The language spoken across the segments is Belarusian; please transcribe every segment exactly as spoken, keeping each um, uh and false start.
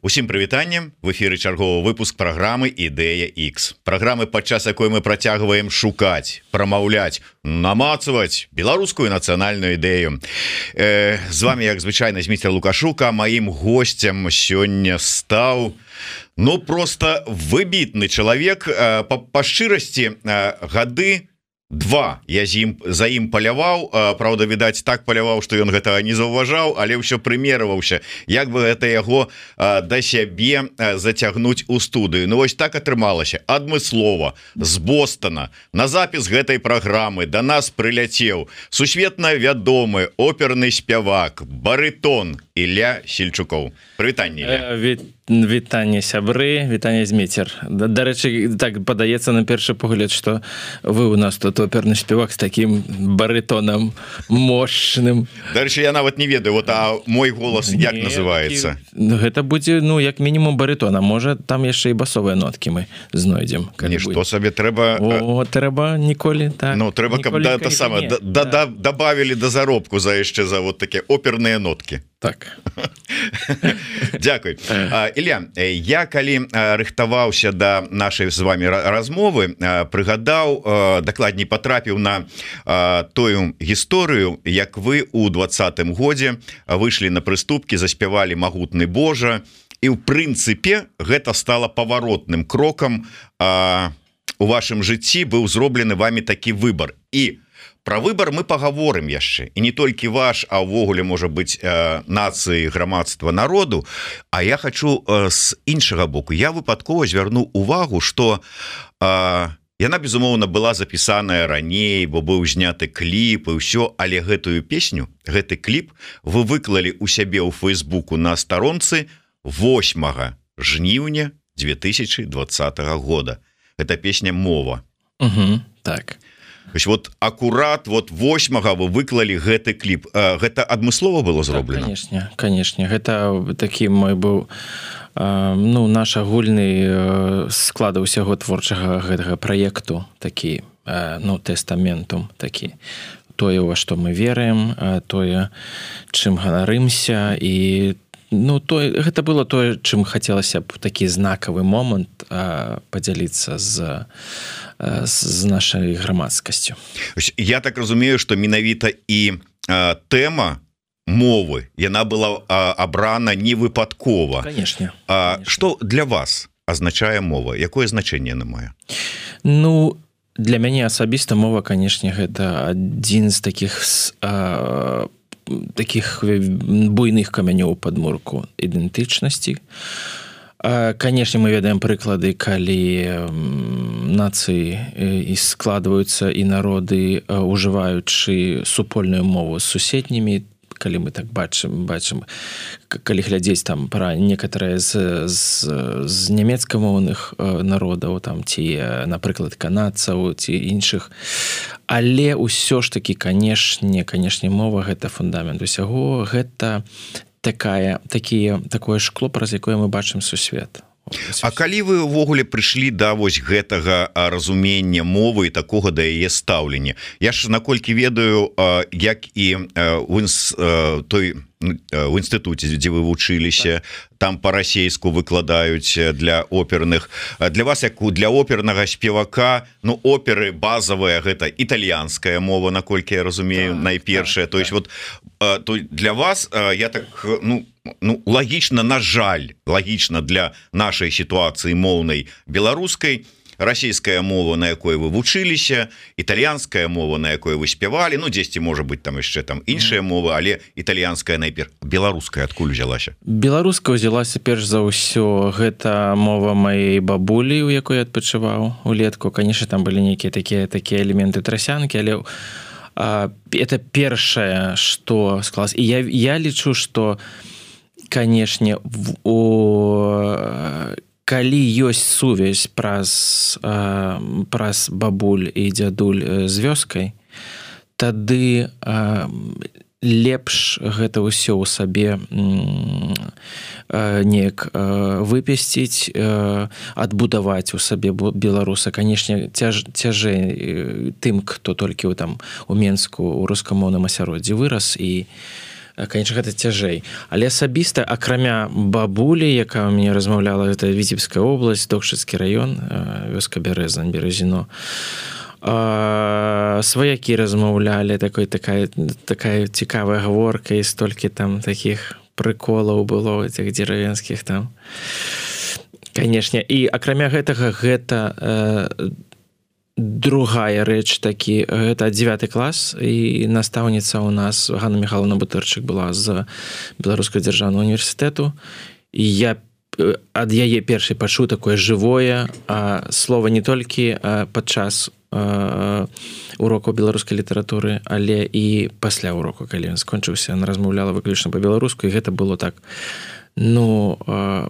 Усім прывітанне, в эфіры чарговы выпуск праграмы Ідэя Х. Праграмы, падчас якой мы працягваем шукаць, прамаўляць, намацаваць беларускую нацыянальную ідэю. Э, з вами, як звычайна, Зміцер Лукашук, а маім госцем сёння стаў ну просто выбітны чалавек. Э, па, па шчырасці, э, гады два я з ім за ім паляваў, правда, відаць, так паляваў, што ён гэтага не заўважаў, але ўсё прымерваўся, як бы гэта яго да сябе зацягнуць у студыю. Ну вось так атрымалася. Адмыслова з Бостона на запіс гэтай праграмы да нас прыляцеў сусветна вядомы оперны спявак, барытон Ілля Сельчукоў. Прывітанне, Ілля. Ві... Вітанне, сябры, вітанне, Зміцер. Дарэчы, так падаецца на першы погляд, што вы у нас тут оперны спевак з такім барытонам мощным. Дарэчы, я нават не ведаю, вот, а мой голас як не, называецца? Гэта будзе, ну, як мінімум барытона. Можа, там яшчэ і басовыя ноткі мы знойдзем. Не, што сабе трэба... О, трэба ніколі, так. Ну, трэба, каб да, та сама, да, да, да, добавілі да заробку за яшчэ за вот такія оперныя ноткі. Так. Дзякуй. Ілля, я калі рыхтаваўся да нашай з вами размовы, прыгадаў, дакладней патрапіў на тую гісторыю, як вы у двадцатым годзе выйшлі на прыступкі, заспявалі магутны Божа, і ў прынцыпе гэта стала паваротным крокам у вашым жыцці, быў зроблены вами такі выбар. І про выбор мы паговорым яшчэ, і не толькі ваш, а ўвогуле можа быць э, нацыі, грамадства, народу. А я хочу э, з іншага боку, я выпадкова звярну увагу, што э, яна безумоўна была запісаная раней, бо быў зняты кліп і ўсё, але гэтую песню, гэты кліп вы выклалі у сябе ў Фейсбуку на старонцы восьмага жніўня две тысячи двадцатого года. Гэта песня «Мова». Угу, так. Вот акурат вот восьмага вы выклалі гэты кліп. Гэта адмыслова было зроблена? Так, канешне, канешне. Гэта такі мой быў ну, наш агульны склад усяго творчага гэтага праекту, такі, ну, тэстаментум такі. Тое, во што мы верым, тое, чым ганарымся, і ну, то, гэта было тое, чым хацелася б такі знакавы момант а, падзяліцца з, з нашай грамадскасцю. Я так разумею, што менавіта і а, тэма мовы, яна была а, абрана не выпадкова. Канешне. А, што для вас азначае мова? Якое значэнне яна мае? Ну, для мяне асабіста мова, канешне, гэта адзін з такіх а, таких буйных камянёў падмурку ідэнтычнасці. Канешне, мы ведаем прыклады, калі нацыі і складваюцца і народы, ужываючы супольную мову з суседнімі, калі мы так бачым, бачым, калі глядзець там пра некаторыя з, з, з нямецкамоўных народаў, там, ці, напрыклад, канадцаў, ці іншых. Але ўсё ж такі, канешне, канешне, мова — гэта фундамент усяго, гэта такая, такія, такое шкло, праз якое мы бачым сусвет. А калі вы ўвогуле прыйшлі да вось гэтага разумення мовы і такога да яе стаўлення? Я ж наколькі ведаю, як і ў той в інстытуце, дзе вы вучыліся, там па-расейску выкладаюць для оперных. Для вас, як для опернага спевака, ну, оперы базавыя — гэта італьянская мова, наколькі я разумею, так, найпершая. Так, то есть, вот, то для вас, я так, ну, ну, лагічна, на жаль, лагічна для нашай сітуацыі моўнай беларускай, расійская мова, на якой вы вучыліся, італьянская мова, на якой вы спявалі, ну, дзесьці, можа быць, там яшчэ там іншая мова, але італьянская найперш. Беларуская адкуль узялася? Беларуская ўзялася перш за ўсё. Гэта мова маёй бабулі, у якой адпачываў улетку. Канешне, там былі нейкія такія такія элементы трасянкі, але а, это першае, што склалася. І я, я лічу, што, канешне, у калі ёсць сувязь праз, праз бабуль і дзядуль з вёскай, тады лепш гэта ўсё ў сабе неяк выпесціць, адбудаваць у сабе беларуса. Канешне, цяж, цяжэй тым, хто толькі там у Менску у рускамоўным асяроддзі вырас і конечно гэта цяжэй, але асабіста акрамя бабулі, якая у мяне размаўляла, это Віцебская область, Докшыцкі раён, вёска Бярэзань, Березіно, сваякі размаўлялі, такой такая такая цікавая гаворка, і столькі там такіх прыколаў было этих дзеравенскіх там, канешне. І акрамя гэтага гэта э, другая рэч такі, гэта дзевяты клас, і настаўніца ў нас Ганна Михайловна Бутырчык была з Беларускага дзяржаўнага універсітэту, і я ад яе першай пачуў такое жывое а, слова не толькі а, падчас а, урокаў беларускай літаратуры, але і пасля уроку, калі ён скончыўся, яна размаўляла выключна па-беларуску, і гэта было так, ну, а,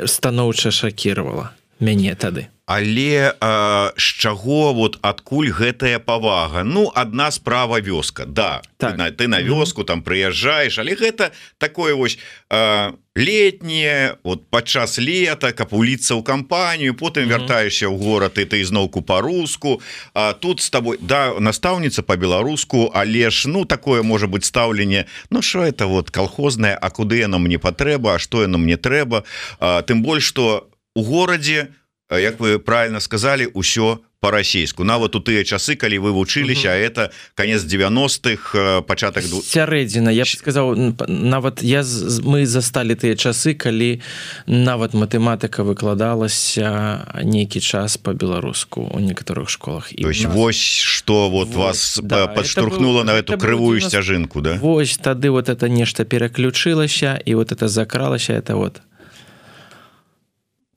станоўча шакіравала мяне тады. Але а, з чаго, вот адкуль гэтая павага? Ну, адна справа вёска, да, так. ты, на, ты на вёску там прыязджаеш, але гэта такое вось а, летняе, вот падчас лета, каб уліцца ў кампанію, потым вяртаешся ў горад, і ты ізноўку па-руску, а тут з табой, да, настаўніца па-беларуску, але ж, ну, такое можа быць стаўленне, ну, що это вот калхознае, а куды яно мне патрэба, а што яно мне трэба, а, тым больш, што у горадзе, як вы правильно сказали, ўсё по-расейску. Нават у тыя часы, калі вы вучыліся, угу. а это конец девяностых, пачатак... Сярэдзіна, я б сказаў, нават я, мы засталі тыя часы, калі нават матэматыка выкладалася нейкі час по-беларуску у некаторых школах. То есть нас... вось, што вот вось, вас да, подштурхнуло на эту крывую сцяжынку, да? Вось, тады вот это нешта пераключылася, і вот это закралася, это вот...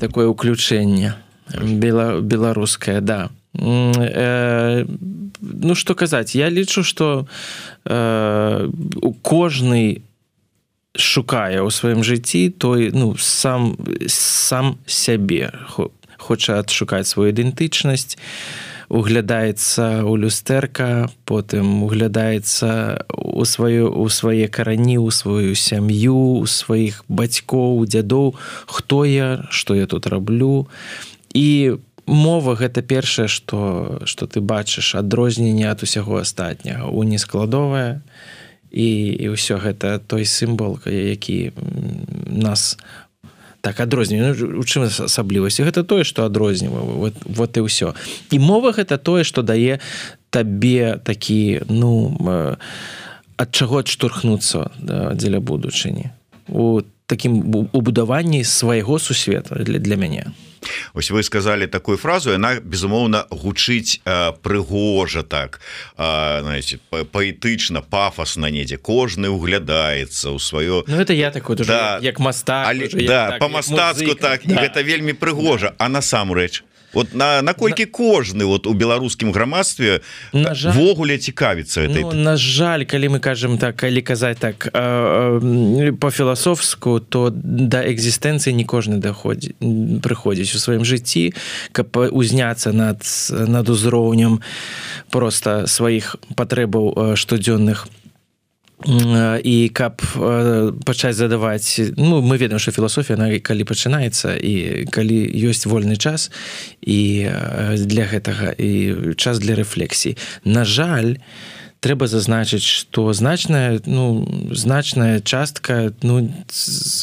такое уключэнне бела, беларускае, да. Э, ну, што казаць, я лічу, што э, кожны шукае ў сваім жыцці той, ну, сам, сам сябе, хоча адшукаць сваю ідэнтычнасць, углядаецца ў люстэрка, потым углядаецца у сваю, у свае карані, у сваю сям'ю, у сваіх бацькоў, дзядоў, хто я, што я тут раблю. І мова гэта першае, што, што ты бачыш, адрозненне ад усяго астатняга, унескладовае, і, і ўсё гэта той сімвал, які нас так адрознівае. Ну, у чым асаблівасць? Гэта тое, што адрознівае. Вот, вот і ўсё. І мова гэта тое, што дае табе такі, ну, ад чаго адштурхнуцца дзеля будучыні. У такім убудаванні свайго сусвета для, для мяне. Ось вы сказали такую фразу, яна, безумоўна, гучыць э, прыгожа так, э, знаете, паэтычна, пафасна недзе, кожны углядаецца ў сваё... Ну, это я такой, да, як, як мастак. Але, уже, да, так, па-мастацку так, да. І гэта вельмі прыгожа, а насамрэч... Вот на, наколькі на... кожны вот у беларускім грамадстве ввогуле цікавіцца этой... Ну, на жаль, калі мы кажам так, калі казаць так э, э, по-філасофску, то да экзістэнцыі не кожны даходзі, прыходзіць у сваім жыцці, каб узняцца над, над узроўнем проста сваіх патрэбаў штодзённых, і каб пачаць задаваць, ну, мы ведаем, што філасофія, она калі пачынаецца, і калі ёсць вольны час, і для гэтага, і час для рэфлексіі. На жаль, трэба зазначыць, што значная, ну, значная частка, ну,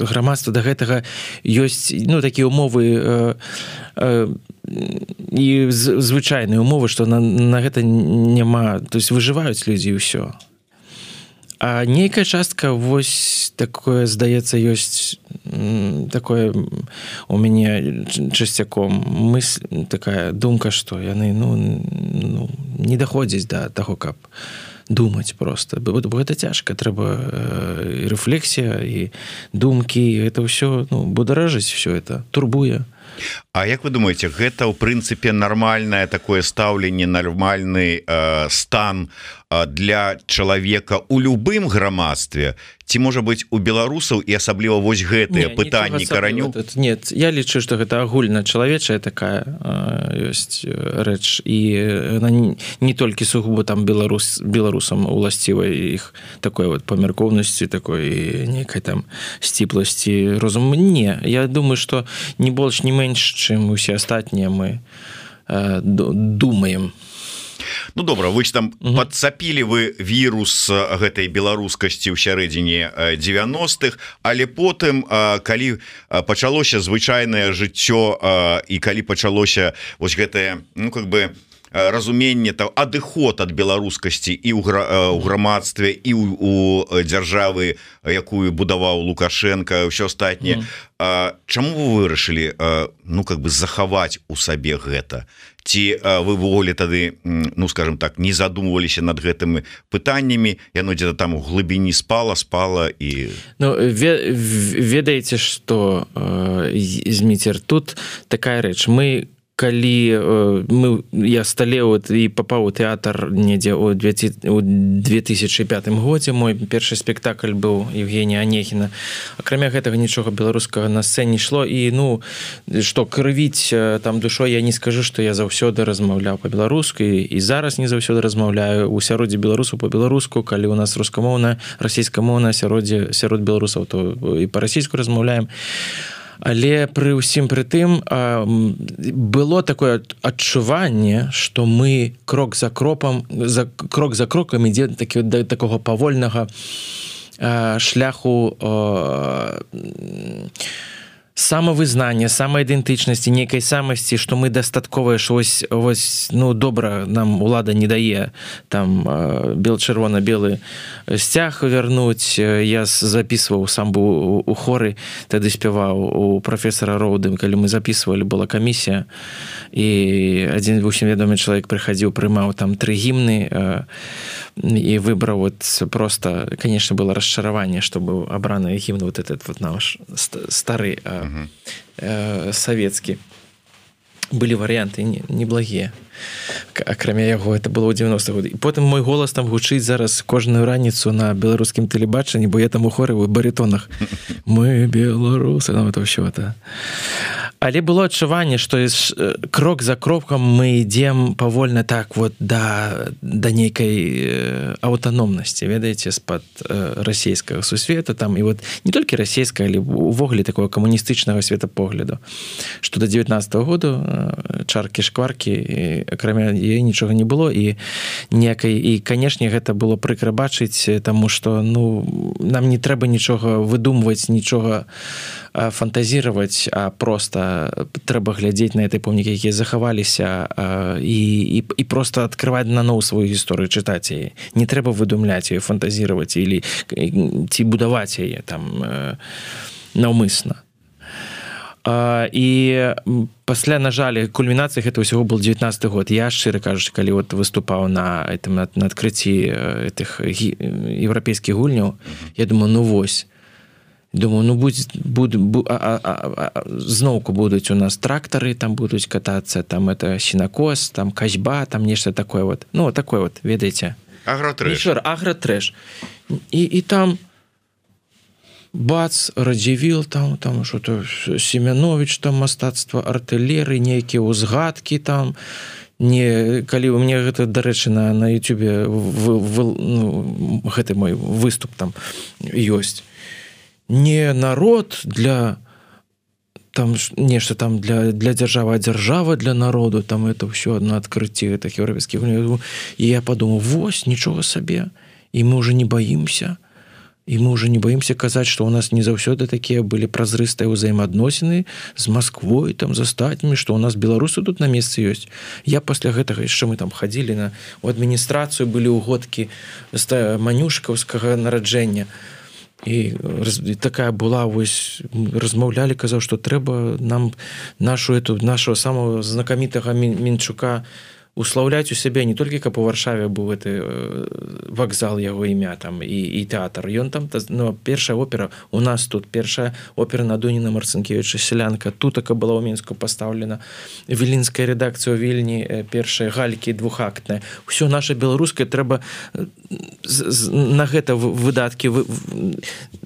грамадства да гэтага ёсць, ну, такія умовы э, э, і звычайныя умовы, што на, на гэта няма, то есть выжываюць людзі і ўсё. А нейкая частка, вось такое, здаецца, ёсць такое у мяне часцяком мысль, такая думка, што яны, ну, ну не даходзяць да таго, каб думаць проста. Бо гэта цяжка, трэба і рэфлексія, і думкі, і гэта ўсё, ну, бударажыць ўсё это, турбуе. А як вы думаеце, гэта ў прынцыпе нармальнае такое стаўленне, нармальны э, стан э, для чалавека у любым грамадстве? Ці можа быць у беларусаў і асабліва вось гэтыя пытанні караню? Нет, я лічу, што гэта агульна чалавечая такая э, ёсць рэч, і она не, не толькі сугубо там беларус, беларусам уласціва іх такой вот памяркоўнасці, такой нейкай там сціпласці розуму. Не, я думаю, што не больш, не менш, чым усе астатнія мы э, думаем. Ну добра, вы ж там угу. подцапілі вы вірус гэтай беларускасці ў сярэдзіне девяностых, але потым калі пачалося звычайнае жыццё і калі пачалося вось гэтае, ну как бы разуменне там адыход ад беларускасці і ў грамадстве і у дзяржавы, якую будаваў Лукашенко, ўсё астатняе. Mm. Чаму вы вырашылі ну как бы захаваць у сабе гэта? Ці вы ввогуле тады, ну скажем так, не задумываліся над гэтымі пытаннямі, яно дзе-то там у глыбіні спала спала і ну ведаеце, што Зміцер, тут такая рэч, мы калі мы я сталеў і папаў у тэатр недзе ў две тысячы пятым годзе, мой першы спектакль быў Евгения Онегина. Акрамя гэтага нічога беларускага на сцэне ішло, і ну што крывіць там душой, я не скажу, што я заўсёды размаўляў па-беларуску і зараз не заўсёды размаўляю у сяроддзе беларусаў па-беларуску, калі у нас рускамоўна, расійскамоўна сяроддзе сярод беларусаў, то і па-расійску размаўляем. Але пры ўсім пры тым было такое адчуванне, што мы крок за кропам за крок за крокам ідзе такі да такога павольнага шляху самавызнання, самаідэнтычнасці, нейкай самасці, што мы дастатковыя, што вось, вось, ну, добра нам улада не дае там бел-чырвона-белы сцяг вярнуць. Я записываў, сам быў у хоры, тады спяваў у прафесара Роуды, калі мы записывалі, была камісія, і адзін усім вядомы чалавек прыхадзіў, прымаў там тры гімны, і выбраў вот просто, конечно, было расчараванне, што быў абраны гімн вот этот вот наш стары uh-huh. э, савецкі. Былі варыянты неблагія. Акрамя яго, это было ў девяностых годах. І потым мой голас там гучыць зараз кожную раніцу на беларускім тэлебачанні, бо я там у хоры ў барытонах. Мы беларусы, там это ўсё это. Але было адчуванне, што крок за крокам мы ідзем павольна так вот да, да нейкай аўтаномнасці, ведаеце, з-пад расійскага сусвета, там, і вот не толькі расійскага, але увогуле такого камуністычнага светапогляду, што да девятнадцатого году чаркі-шкваркі, акрамя яе нічога не было, і некай, і, канешне, гэта было прыкра бачыць, таму што, ну, нам не трэба нічога выдумваць, нічога фантазировать, а просто трэба глядзець на этой помнікі, якія захаваліся, і, і, і просто открывать наноў сваю гісторыю, чытаць яе. Не трэба выдумляць яе, фантазировать или ці будаваць яе там наўмысна. І пасля, на жаль, кульмінацыя гэта ўсяго был девятнадцатый год. Я, шчыра кажучы, калі вот выступаў на этом, на, на адкрыцці этих еўрапейскіх гульняў, я думаю, ну вось, думаю, ну будь, будь, будь, а, а, а, зноўку будуць у нас трактары, там будуць катацца, там это сенакос, там касьба, там нешта такое вот. Ну, такое вот, ведаеце. Агротрэш. Агротрэш. І, і там бац, Радзівіл, там, там что-то Семянович, там мастацтва артылерыі, нейкія ўзгадкі там. Не, калі у мне гэта, дарэчы, на, на ютубе ну, гэты мой выступ там ёсць. Не народ для там нешта там для, для дзяржавы, а дзяржава для народу, там это ўсё адно адкрыцці гэтых еўрапейскіх. І я падумаў, вось, нічога сабе, і мы уже не баімся, і мы уже не баімся казаць, што ў нас не заўсёды такія былі празрыстыя ўзаемаадносіны з Масквой, там, з астатнімі, што ў нас беларусы тут на месцы ёсць. Я пасля гэтага, яшчэ мы там хадзілі на, у адміністрацыю, былі ўгодкі з манюшкаўскага нараджэння. І, і такая была, вось, размаўлялі, казаў, што трэба нам нашу эту, нашего самого знакамітага Мінчука услаўляць у сябе, не толькі каб у Варшаве быў гэты вакзал, яго імя там, і, і тэатр. Ён там, ну, першая опера у нас тут, першая опера на Дуніна Марцынкевіча «Селянка», тутака была ў Мінску пастаўлена, вілінская рэдакцыя ў Вільні, першая галькі двухактная. Усё наша беларускае трэба на гэта выдаткі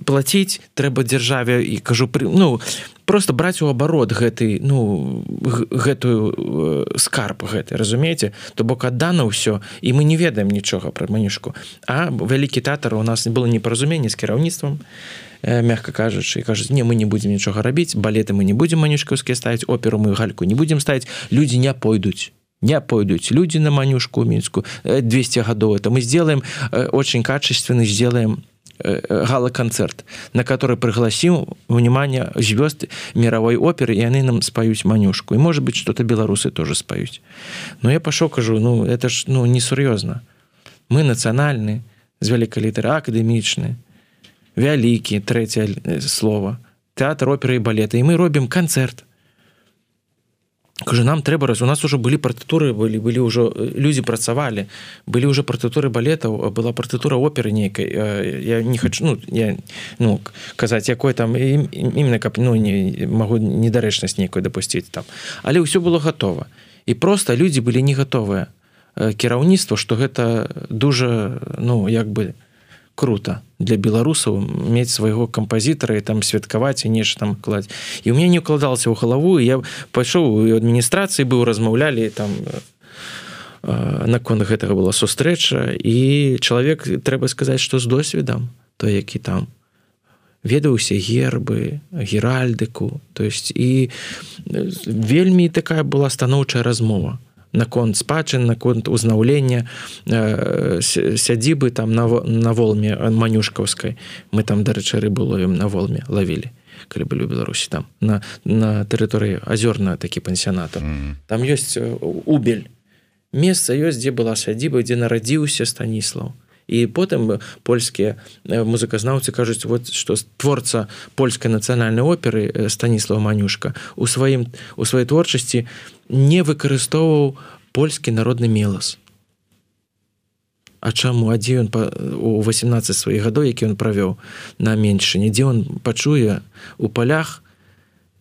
плаціць, трэба дзяржаве, і кажу, ну, просто браць у абарот гэты, ну, гэтую скарб гэты, разумееце? То бок аддана ўсё, і мы не ведаем нічога пра манюшку. А вялікі тэатр, у нас было непаразуменне з кіраўніцтвам, мягка кажучы, і кажуць, не, мы не будзем нічога рабіць, балеты мы не будзем манюшкаўскія ставіць, оперу мы гальку не будзем ставіць, людзі не пойдуць. не пойдут люди на Манюшку Минску двести годов. Это мы сделаем очень качественный, сделаем гала-концерт, на который пригласим, внимание, звезд мировой оперы, и они нам споют Манюшку. И, может быть, что-то белорусы тоже споют. Но я пошел, кажу, ну, это ж ну, несерьезно. Мы национальные, з великой литеры, академичные, великие, третье слово, театр оперы и балета. И мы робим концерт. Кажу, нам трэба раз, у нас уже были партитуры, были, были уже, люди працавали, были уже партитуры балетов, была партитура оперы некой. Я не хочу, ну, я, ну, казать, якой там, именно, ну, не, могу недарэчнасць некую допустить там. Але ўсё было готово. И просто люди были не готовы. Кіраўніцтва, што гэта дуже, ну, як бы, круто для беларусаў мець свайго кампазітара і там святкаваць і нешта там кладаць. І ў мяне не укладалася ў галаву, і я пайшоў у адміністрацыі быў, размаўлялі там наконт гэтага была сустрэча, і чалавек, трэба сказаць, што з досведам, той, які там ведаў усе гербы, геральдыку, то есть і вельмі такая была станоўчая размова наконт спадчын, наконт узнаўлення э, сядзібы там на, на волме манюшкаўскай. Мы там, дарэчы, рыбу ловім на волме, лавілі, калі былі ў Беларусі, там, на, на тэрыторыі азёрна такі пансіянатор. Mm. Там ёсць Убель. Месца ёсць, дзе была сядзіба, дзе нарадзіўся Станіслаў. І потым польскія музыказнаўцы кажуць, вот, што творца польскай нацыянальнай оперы Станіслаў Манюшка у, сваім, у сваёй творчасці не выкарыстоўваў польскі народны мелас. А чаму? А дзе ён у восемнадцаць сваіх гадоў, які ён правёў на Меншыне, дзе ён пачуе у палях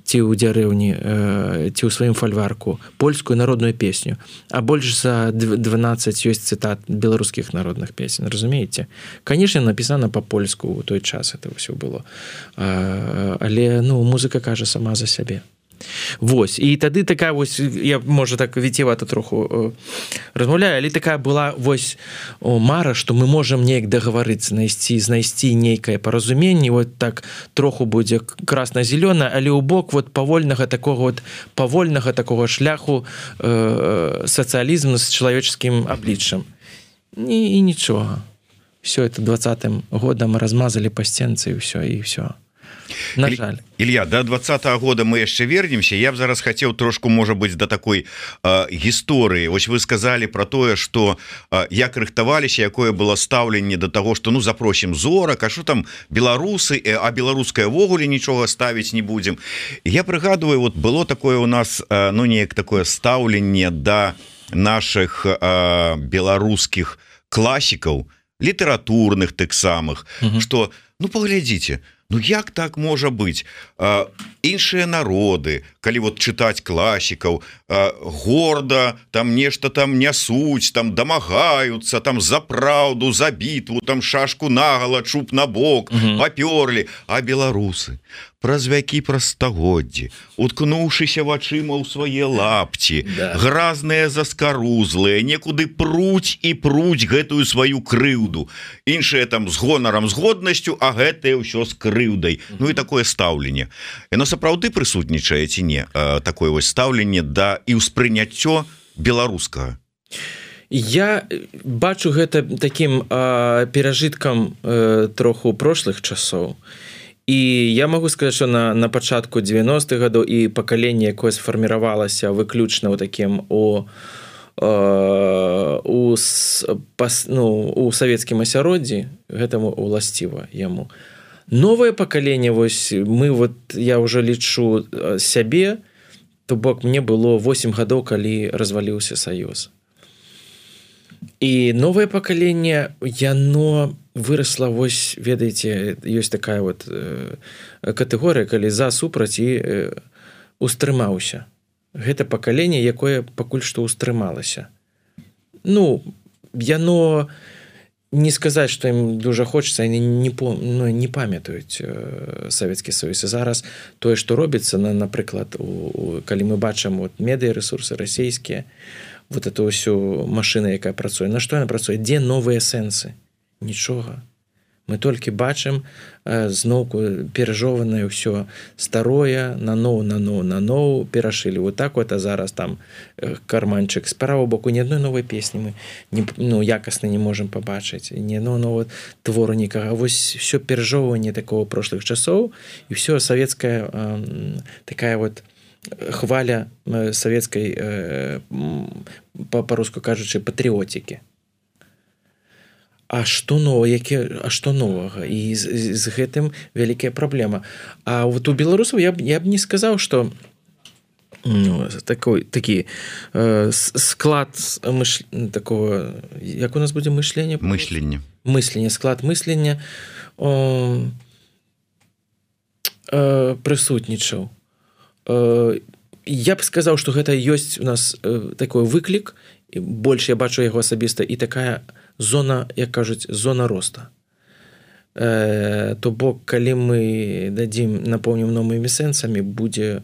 ці ў дзярэўні, ці ў сваім фальварку польскую народную песню, а больш за дванаццаць ёсць цытат беларускіх народных песен, разумееце? Конечно, напісана па-польску ў той час это ўсё было, але ну, музыка кажа сама за сябе. Вось, і тады такая вось, я, можа, так віцевата троху размаўляю, але такая была вось мара, што мы можам неяк дагаварыцца, знайсці, знайсці нейкае паразуменне, вот так троху будзе красна-зелёна, але ў бок вот павольнага такого вот павольнага такого шляху э, сацыялізму з чалавеческім абліччам. І, і нічога. Все это двадцатым годам размазалі па сценцы, і ўсё, і ўсё. На жаль. Илья, до двадцатого года мы яшчэ вернемся. Я б зараз хотел трошку, может быть, до такой э, гісторыі. Вось вы сказали про тое, что э, як рыхтаваліся, якое было стаўленне до того, что ну запросім зорак, а что там беларусы, э, а беларускае ввогуле нічога ставіць не будем. Я прыгадываю, вот было такое у нас, э, ну неяк такое стаўленне до наших э, беларускіх класікаў, літаратурных тых самых, угу. Что, ну паглядзіце, ну як так можа быць? А, іншыя народы, калі вот чытаць класікаў, а, горда там нешта там нясуць, там дамагаюцца, там за праўду, за бітву, там шашку нагала, чуб на бок, угу. Папёрлі, а беларусы праз вякі, праз стагоддзі, уткнуўшыся вачыма ў свае лапці, да. Гразныя заскарузлыя, некуды пруць і пруць гэтую сваю крыўду. Іншыя там з гонарам, з годнасцю, а гэтае ўсё з крыўдай. Mm-hmm. Ну і такое стаўленне. Яно сапраўды прысутнічае ці не? Такое вось стаўленне да і ўспрыняццё беларускага. Я бачу гэта такім э, перажыткам э, троху прошлых часоў. І я могу сказаць, што на, на пачатку девяностых гадоў і пакаленне, якое сфарміравалася выключна ў такім у, у, ну, у савецкім асяроддзі, гэтаму уласціва яму. Новае пакаленне, вось мы вот, я ўжо лічу сябе, то бок мне было восемь гадоў, калі разваліўся Саюз. І новае пакаленне, яно вырасла, вось, ведаеце, ёсць такая вот э, катэгорыя, калі за супраць і э, устрымаўся. Гэта пакаленне, якое пакуль што устрымалася. Ну, яно, не сказаць, што ім дужа хочацца, яны не, ну, не памятаюць э, Савецкі Саюз. І зараз тое, што робіцца, на, напрыклад, у, у, калі мы бачым вот, медыярэсурсы расійскія, вот эту ўсю машину, якая працуе. На што яна працуе? Дзе новыя сэнсы? Нічога. мы толькі бачым зноўку перажованае ўсё старое наноў наноў наноў перашылі вот так вот, а зараз там карманчык з правого боку ні адной новай песні мы не, ну, якасна не можам пабачыць ні ну, ну, твору нікага, вось все перажоўванне такого прошлых часоў і все савецкая э, такая вот хваля савецкай э, па-руску кажучы патрыотікі. А што нового, які, а што новага? І з, з гэтым вялікая праблема. А вот у беларусаў я б, я б не сказаў, што ну, такой, такі э, склад мыш... такого, як у нас будзе мышлення? Мышлення. Мышлення, склад мышлення э, э, прысутнічаў. Э, я б сказаў, што гэта ёсць у нас э, такой выклік, больш я бачу яго асабіста, і такая зона, як кажуць, зона роста. Э, то бок, калі мы дадзім, напоўнім новымі сэнсамі, будзе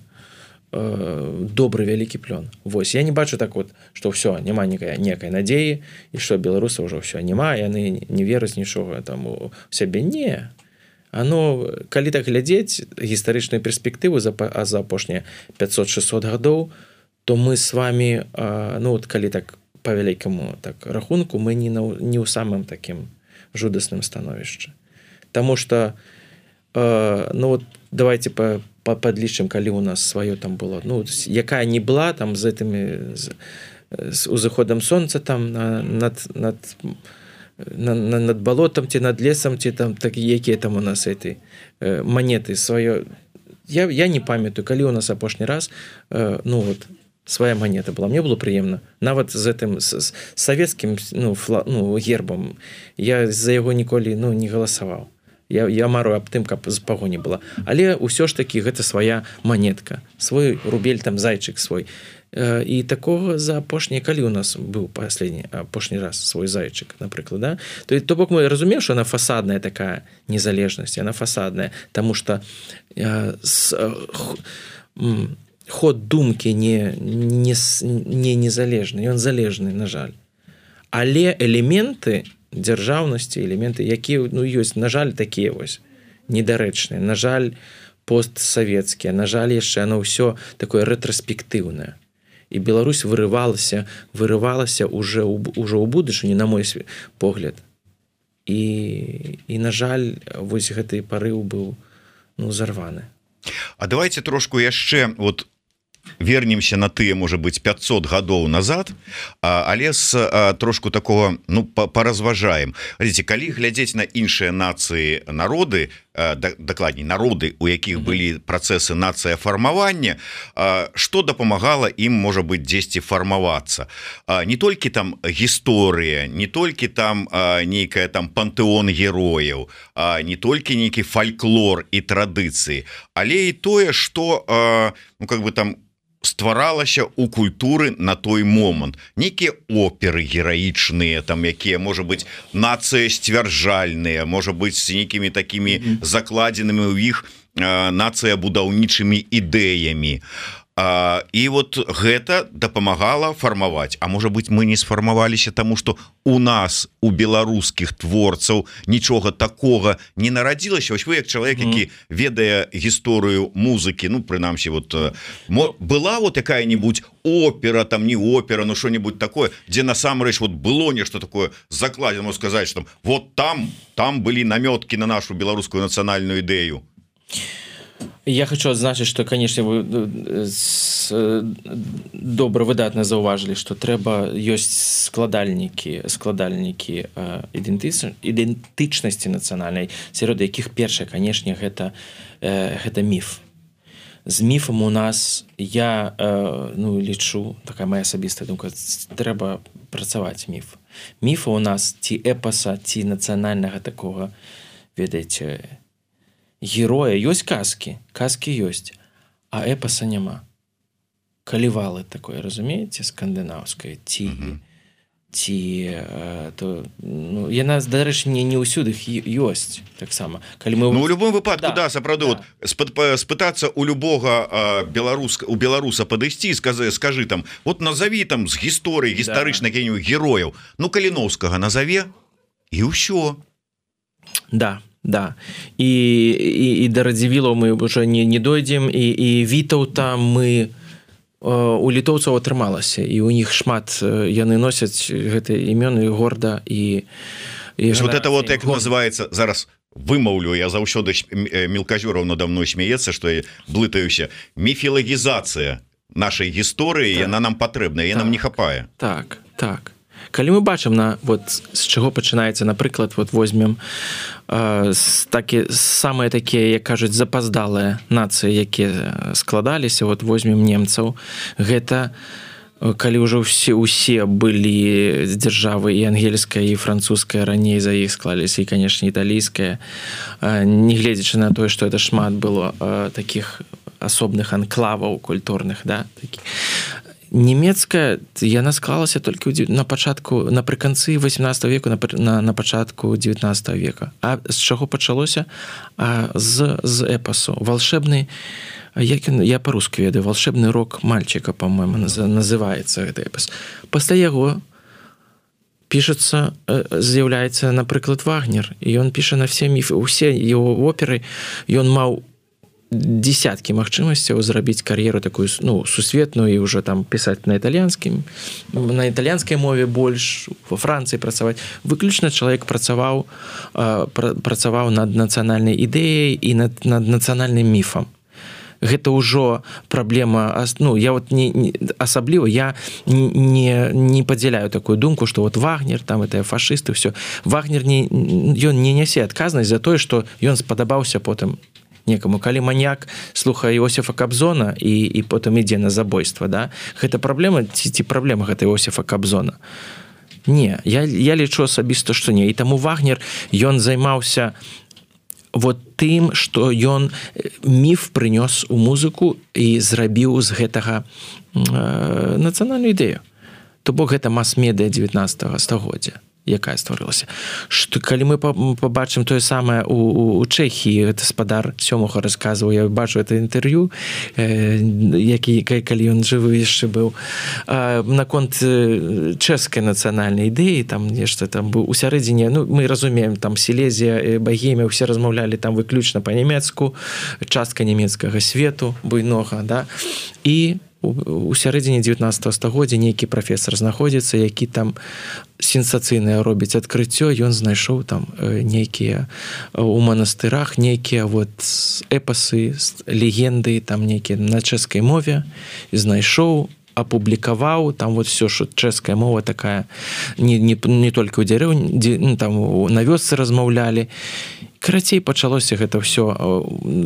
э, добры вялікі плён. Вось, я не бачу так вот, што ўсё, няма некай, некай надзеі, і што беларусы ўжо ўсё няма, яны не вераць нічога там у сябе. Не. Оно, калі так глядзець гістарычную перспектыву за, а за апошнія пятьсот-шестьсот гадоў, то мы с вами, э, ну, вот, калі так по вялікаму так рахунку, мы не, на, не ў самым такім жудасным становішчы. Таму што э, ну вот давайте по, по подлічым, калі у нас сваё там было, ну якая не была там з гэтымі з, з узыходам сонца там на, над над на, на, над балотам ці над лесам ці там так якія там у нас этой э, манеты сваё. Я, я не памятаю, калі у нас апошні раз э, ну вот свая манета была. Мне было прыемна. Нават з гэтым з, з савецкім ну, фла, ну, гербам я за яго ніколі ну, не галасаваў. Я, я мару аб тым, каб з пагоні была. Але ўсё ж такі гэта свая манетка. Свой рубель, там зайчык свой. Э, і такога за апошні, калі у нас быў паследні апошні раз свой зайчык, напрыклад, да? То, то бок мы разумеем, што яна фасадная такая незалежнасць, яна фасадная, таму што э, с, э, х, ход думкі не, не, не незалежны, ён залежны, на жаль. Але элементы дзяржаўнасці, элементы, якія ну, ёсць, на жаль, такія вось недарэчныя, на жаль, постсавецкія, на жаль, яшчэ оно ўсё такое рэтраспектыўнае. І Беларусь вырывалася, вырывалася уже, уже ў будучыні, на мой погляд. І, і на жаль, вось гэты парыў быў ну, зарваны. А давайте трошку яшчэ вот вернемся на тыя, можа быть, пятьсот гадоў назад, але з трошку такого ну паразважаем. Глядзіце, калі глядзець на іншыя нацыі, народы, дакладней народы, у якіх былі працэсы нацыяфармавання, што дапамагала ім, можа быть, дзесьці фармавацца. Не толькі там гісторыя, не толькі там нейкая там пантэон герояў, не толькі нейкі фальклор і традыцыі, але і тое, што ну как бы там стваралася у культуры на той момант. Некія оперы гераічныя, там якія, можа быць, нацыя сцвярджальныя, можа быць, з нейкімі такімі mm-hmm. закладзенымі ў іх э, нацыя будаўнічымі ідэямі. А, і вот гэта дапамагала фармаваць. А можа быць, мы не сфармаваліся, таму што у нас, у беларускіх творцаў, нічога такога не нарадзілася. Вось вы, як чалавек, які ведае гісторыю музыкі, ну, прынамсі, вот, была вот якая-нибудь опера, там, не опера, ну, што-нибудь такое, дзе насамрэч вот было нешта такое закладзена, можна сказаць, што вот там, там былі намёткі на нашу беларускую нацыянальную ідэю. Я хочу адзначыць, што, канешне, вы добра, выдатна заўважылі, што трэба ёсць складальнікі, складальнікі ідэнтычнасці нацыянальнай, сярод якіх першае, канешне, гэта, гэта міф. З міфам у нас, я ну, лічу, такая моя асабістая думка, трэба працаваць міф. Міфа у нас ці эпаса, ці нацыянальнага такога, ведаеце, героя, ёсць казкі, казкі ёсць, а эпаса няма. Калівалы такое, разумееце, скандынаўскае, ці, mm-hmm. ці то, ну, яна, дарэчы, не, не ўсюды ёсць, таксама. Калі мы... Ну, у любом выпадку, да, да сапраўды, да. Вот, спытацца у любога беларуска, у беларуса падысці, скажы, скажы там, вот назови там з гісторыі, гістарычна да. Генію герояў, ну, Каліноўскага назаве, і ўсё. Да, да. І, і, і да Радзівілаў мы ўжо не, не дойдзем, і, і Вітаўта мы у літоўцаў атрымалася, і у них шмат, яны носяць гэтыя імёны горда і, і вот это вот як горда. Называется зараз вымаўлю, я заўсёды мелкажёраў надо мной смеецца, што я блытаюся, міфілагізацыя нашай гісторыі, так. Яна нам патрэбная, так. Нам не хапае. Так, так. Калі мы бачым на вот з чаго пачынаецца, напрыклад, вот возьмем э, такі самыя такія, як кажуць, запаздалыя нацыі, якія складаліся, вот возьмем немцаў, гэта калі ўжо ўсе усе былі з дзяржавы і ангельская і французская, раней за іх склаліся, і канешне італійская, э, не гледзячы на тое, што это шмат было э, такіх асобных анклаваў культурных, да, такіх. Нямецкая, яна склалася толькі на пачатку, напрыканцы восемнадцатого веку, на, на, на пачатку девятнадцатого века. А з чаго пачалося? А з, з эпасу. Волшебны, як ён, я па-руску ведаю, волшебны рок мальчика, по-моему, называецца гэты эпас. Пасля яго пішацца, з'яўляецца, напрыклад, Вагнер, і ён піша на все міфы, усе его оперы, ён маў десяткі магчымасцяў зрабіць кар'еру такую, ну, сусветную і ўжо там пісаць на італьянскім, на італьянскай мове больш, во Францыі працаваць. Выключна чалавек працаваў, працаваў над нацыянальнай ідэяй і над, над нацыянальным міфам. Гэта ўжо праблема, ну, я вот не, не асабліва я не, не падзяляю такую думку, што вот Вагнер, там это фашысты, все. Вагнер не, ён не нясе адказнасць за тое, што ён спадабаўся потым некаму. Калі маньяк слухае Іосіфа Кабзона і, і потым ідзе на забойства, да? Гэта праблема, ці, ці праблема гэта Іосіфа Кабзона? Не, я, я лічу асабіста, што не. І таму Вагнер, ён займаўся вот тым, што ён міф прынёс у музыку і зрабіў з гэтага э, нацыянальную ідэю. То бок гэта мас-медыя девятнадцатого стагоддзя, якая стварылася. Што калі мы пабачым тое самае у, у, у Чэхіі, гэта спадар Сёмуха расказваў, я бачу это інтэрв'ю, э, які, калі ён жывы яшчэ быў, э, наконт чэшскай нацыянальнай ідэі, там нешта там быў у сярэдзіне, ну, мы разумеем, там Сілезія, Багемія, усе размаўлялі там выключна па-нямецку, частка нямецкага свету буйнога, да, і у сярэдзіне девятнадцатого стагоддзя нейкі прафесар знаходзіцца, які там сенсацыйнае робіць адкрыццё, ён знайшоў там нейкія у манастырах, нейкія вот эпасы, легенды, там нейкія на чэшскай мове, знайшоў, апублікаваў, там вот все, що чэшская мова такая, не, не, не толькі ў дзярэўні, ну, там на вёсцы размаўлялі. Карацей, пачалося гэта ўсё,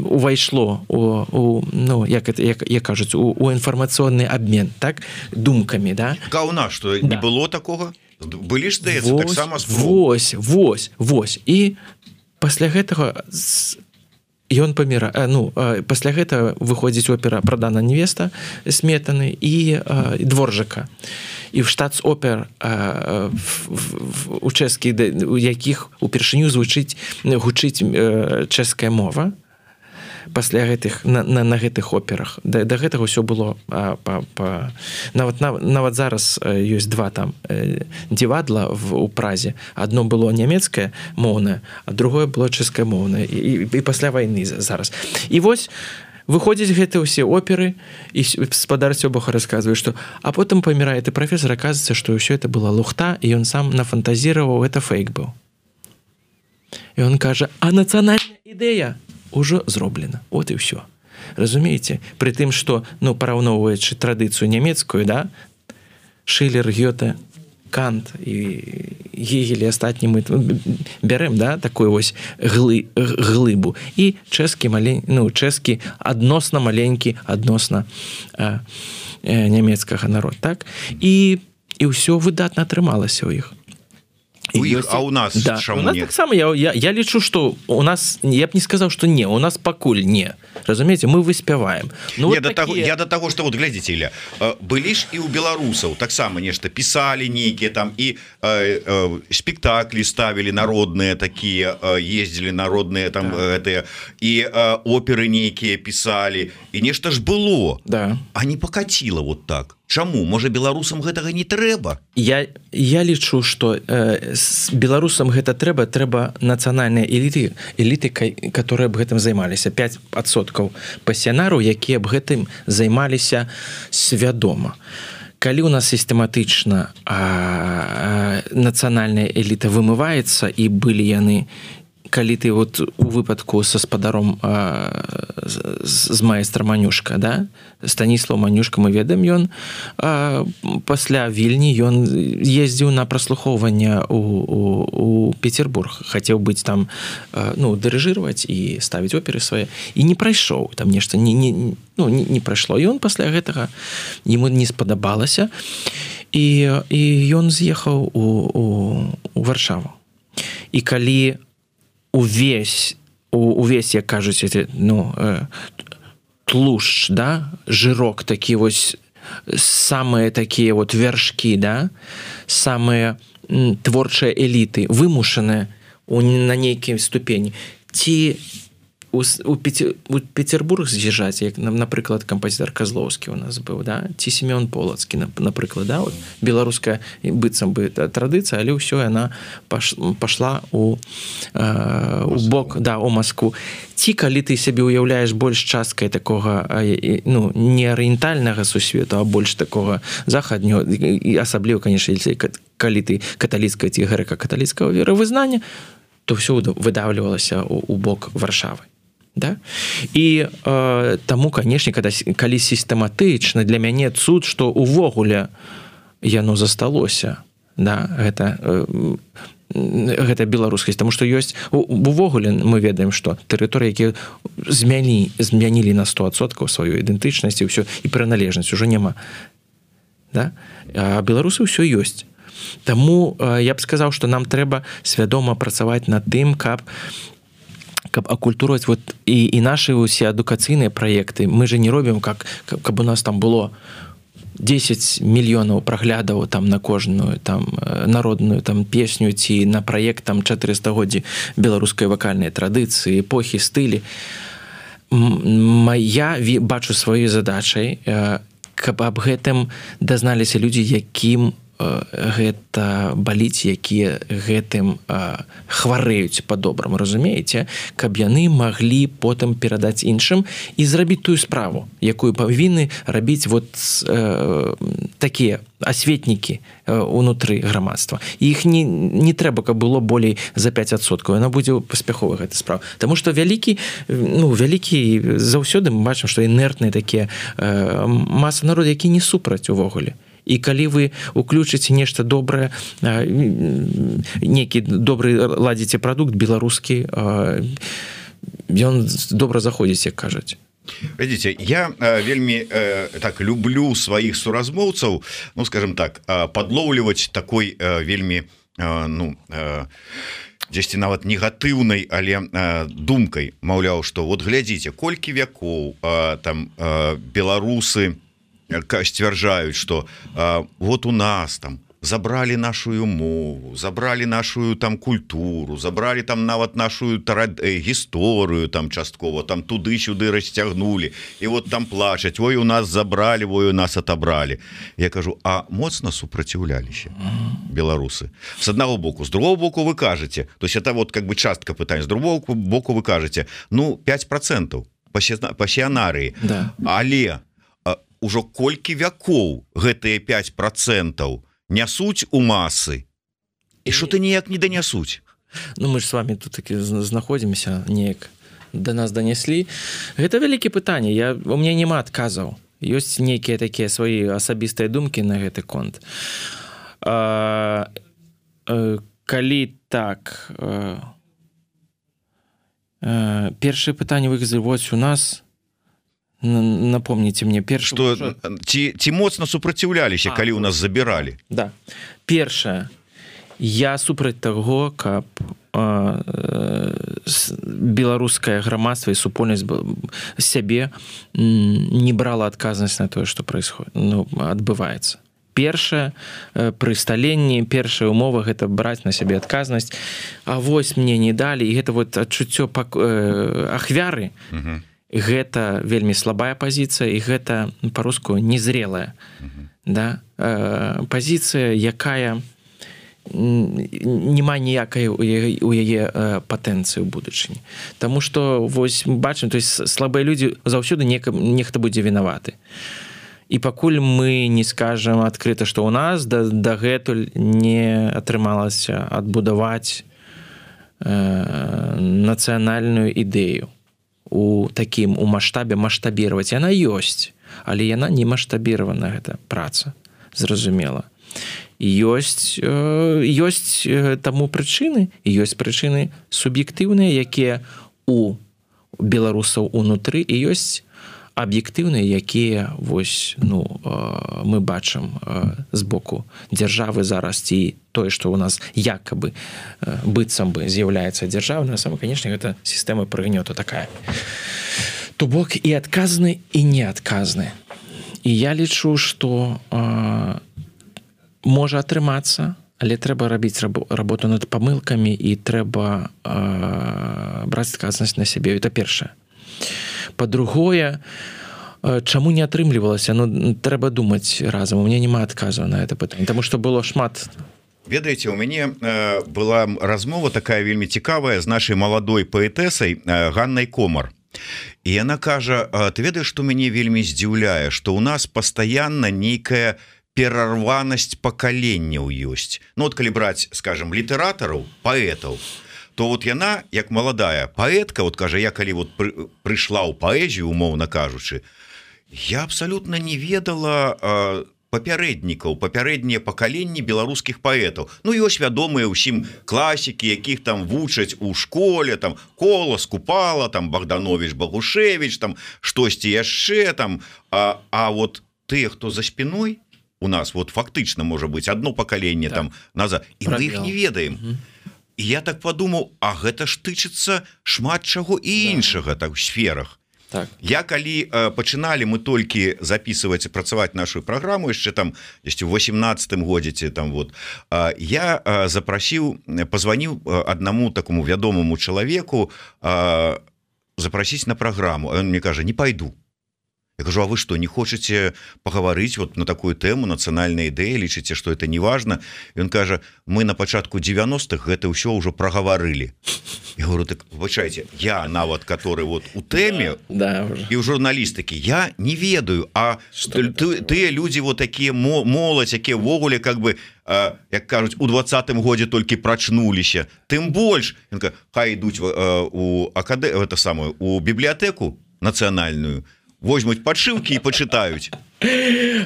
увайшло у, у ну, як, это, як, як кажуць, у, у інфармацыйны абмен, так, думкамі, да? Ка у нас, што да. Не было такога? Былі ж, здаецца, таксама спробы. Вось, вось, вось. І пасля гэтага ён паміра, ну, пасля гэтага выходзіць опера «Прадана невеста» Сметаны і Дворжака. І в штатс-опер у чэшскіх, у якіх упершыню звучыць, гучыць чэшская мова пасля гэтых, на, на, на гэтых операх. Да, да гэтага ўсё было а, па, па, нават, нават, нават зараз ёсць два там дзівадла в, у Празе. Адно было нямецкае моўнае, а другое было чэшскае моўнае. І, і, і пасля вайны зараз. І вось выходзяць гэтыя ўсе оперы, і спадар Сёмуха расказвае, што а потым памірае ты прафесор, аказваецца, што ўсё это была лухта, і ён сам нафантазіраваў, гэта фейк быў. І ён кажа, а нацыянальная ідэя ўжо зроблена. От і ўсё. Разумееце? Пры тым, што, ну, параўноўваючы традыцыю нямецкую, да, Шиллер, Гёте, Кант і Гегель і астатні мы бярэм, да, такую вось глы, глыбу. І чэшскі малень, ну, чэшскі адносна маленькі, адносна а, а, нямецкага народ, так? І, і ўсё выдатна атрымалася ў іх. У іх, а у нас да. чаму у нас не? Таксама я, я, я лічу, што у нас, я б не сказаў, што не, у нас пакуль не. Разумееце, мы выспяваем. Ну, не, вот да таго, такие... я да таго, што вот глядзіце, Ілля, былі ж і ў беларусаў таксама нешта пісалі нейкія там і э, э, спектаклі ставілі народныя такія, э, ездзілі народныя там гэтыя, да. І э, оперы нейкія пісалі, і нешта ж было. Да. А не пакаціла вот так. Чаму можа беларусам гэтага не трэба? Я я лічу, што э, з беларусам гэта трэба трэба нацыянальныя эліты эліты, которые б гэтым займаліся, пяць адсоткаў пасіянараў, якія б гэтым займаліся свядома. Калі у нас сістэматычна нацыянальная эліта вымываецца, і былі яны, калі ты вот у выпадку са спадаром а, з, з майстра Манюшка, да? Станіслав Манюшка, мы ведаем, ён а, пасля Вільні ён ездзіў на праслухоўванне у, у, у Петербург, хацеў быць там, а, ну, дырыжырваць і ставіць оперы свае, і не прайшоў, там нешта не, не, ну, не, не прайшло, і ён пасля гэтага яму не спадабалася, і, і ён з'ехаў у, у, у Варшаву. І калі увесь, увесь, як кажуць, ну, тлушч, да, жирок, такі вось, самыя такія вот вяршкі, да, самыя творчыя эліты, вымушаныя на нейкім ступені. Ці у, у, Петер, у Петербург з'їжджаць, як, напрыклад, кампазітар Казлоўскі у нас быў, да, ці Семён Полацкі, напрыклад, да, вот, беларуская быццам бы традыцыя, але ўсё яна паш, пашла у, э, у бок, да, у Москву. Ці калі ты сябе ўяўляеш больш часткай такога, ну, не арыентальнага сусвету, а больш такога захаднього, і асабліва, конечно, калі ты каталіцкая ці грэка-каталіцкага веравызнання, то все выдавлівалася у, у бок Варшавы. Да? І э, таму, канешне, калі сістэматычна, для мяне цуд, што увогуле яно засталося, да, гэта, э, гэта беларускасць, таму што ёсць увогуле мы ведаем, што тэрыторыі, якія змяні, змянілі на сто адсоткаў сваю ідэнтычнасць і ўсё, і прыналежнасць ужо няма. Да? А беларусы ўсё ёсць. Таму э, я б сказаў, што нам трэба свядома працаваць над тым, каб каб акультурваць вот і, і нашы ўсе адукацыйныя праекты. Мы же не робім, как, каб у нас там было дзесяць мільёнаў праглядаў там на кожную там народную там песню ці на праект там чатырыстагоддзі беларускай вакальнай традыцыі, эпохі, стылі. Я бачу сваёй задачай, каб аб гэтым дазналіся людзі, якім гэта баліць, якія гэтым а, хварэюць па-добраму, разумееце, каб яны маглі потым перадаць іншым і зрабіць тую справу, якую павінны рабіць вот э, такія асветнікі э, унутры грамадства. І іх не, не трэба, каб было болей за пяць адсоткаў, яна будзе паспяховая гэта справа. Таму што вялікі, ну, вялікі заўсёды мы бачым, што інертныя такія э, маса народу, які не супраць увогуле. І калі вы уключыце нешта добрае, нейкі добры ладзіце прадукт беларускі, ён добра заходзіць, як кажуць. Видите, я э, вельмі э, так люблю сваіх суразмоўцаў, ну, скажем так, э, подлоўліваць такой э, вельмі э, ну э, дзесьці нават негатыўнай, але э, думкай, маўляў, што вот глядзіце, колькі вякоў э, там э, беларусы сцвярджаюць, што а, вот у нас там забралі нашу мову, забралі нашу там культуру, забралі там нават нашу тарад... гісторыю там часткова, там туды-сюды расцягнулі, і вот там плачаць, ой, у нас забралі, ой, у нас отобралі. Я кажу, а моцна супраціўляліся беларусы? С аднаго боку, з другого боку вы кажаце, то есть это вот как бы частка пытання, з другого боку вы кажаце, ну, пяць процентаў пасіянарыі, да. Але ужо колькі вякоў гэтыя пяць процентаў нясуць у масы, і што ты ніяк не данясуць. Ну, мы ж с вами тут таки знаходзімся, неяк да нас данеслі. Гэта вялікі пытанне, я, у меня няма адказаў. Ёсць нейкія такія свае асабістыя думкі на гэты конт. А, а, калі так, а, а, першае пытанне выказалі, вось у нас... Напомніце мне перш... Што, ці, ці моцна супраціўляліся, калі ў нас забіралі? Да. Першае, я супраць таго, каб э, беларускае грамадства і супольнасць сябе не брала адказнасць на тое, што происходит, ну, адбываецца. Першае, пры сталенні, першая умова гэта браць на сябе адказнасць, а вось мне не далі, і гэта вот адчуццё пак... ахвяры, угу. гэта вельмі слабая пазіцыя, і гэта па-руску незрелая да? пазіцыя, якая няма ніякай у яе патэнцыі ў будучыні. Таму што вось бачым, то есть слабыя людзі заўсёды нехта будзе вінаваты. І пакуль мы не скажам адкрыта, што ў нас дагэтуль не атрымалася адбудаваць нацыянальную ідэю у такім у маштабе маштабіраваць. Яна ёсць, але яна не маштабіравана, гэта праца, зразумела. Ёсць, ёсць таму прычыны, ёсць прычыны суб'ектыўныя, якія у беларусаў унутры, і ёсць аб'ектыўныя, якія вось, ну, мы бачым з боку дзяржавы зараз, ці тое, што ў нас якабы быццам бы з'яўляецца дзяржава, на самом, конечно, гэта сістэма прыгнёту такая. То бок і адказны, і неадказны. І я лічу, што можа атрымацца, але трэба рабіць работу над памылкамі, і трэба браць адказнасць на сябе. Это першае. Па-другое, чаму не атрымлівалася? Ну, трэба думаць разам. У меня няма адказу на это пытанне, таму што было шмат. Ведаеце, у мяне э, была размова такая вельмі цікавая з нашай маладой паэтэсай э, Ганнай Комар. І яна кажа: ты ведаеш, што мяне вельмі здзіўляе, што ў нас пастаянна нейкая перарванасць пакаленняў ёсць. Ну, от калі браць, скажем, літаратараў, паэтаў, то вот яна, як маладая паэтка, вот кажа, я калі вот пры, прыйшла ў паэзію, умоўна кажучы, я абсалютна не ведала э, папярэднікаў, папярэднія пакаленні беларускіх паэтаў. Ну, ёсць вядомыя ўсім класікі, якіх там вучаць у школе, там Колас, Купала, там Богданович, Багушевич, там штосьці яшчэ там, а, а вот тыя, хто за спиной у нас, вот фактычна можа быць одно пакаленне так. там назад, і мы іх не ведаем. Угу. І я так подумаў, а гэта ж тычыцца шмат чаго і іншага так, у сферах. Так. Я калі э, пачыналі мы толькі записываць і працаваць нашу праграму яшчэ там у восемнадцатым годзе там вот э, я э, запрасіў, позваніў аднаму такому вядомаму чалавеку э, запрасіць на праграму. А ён мне кажа: не пойду. Я кажу: а вы что, не хочаце пагаварыць вот на такую тэму нацыянальнай ідэі, лічыце, што это не важна? Ён кажа: мы на пачатку девяностых гэта ўсё ўжо прагаварылі. Я говорю: так выбачайце, я нават который вот у тэме да, да, і ў журналістыкі я не ведаю, а тыя людзі вот такія моладзь, якія ўвогуле как бы э, як кажуць у двадцатым годзе толькі прачнуліся, тым больш хай ідуць э, у акадэ это самое у бібліятэку нацыянальную, возьмуць падшыўкі і пачытаюць.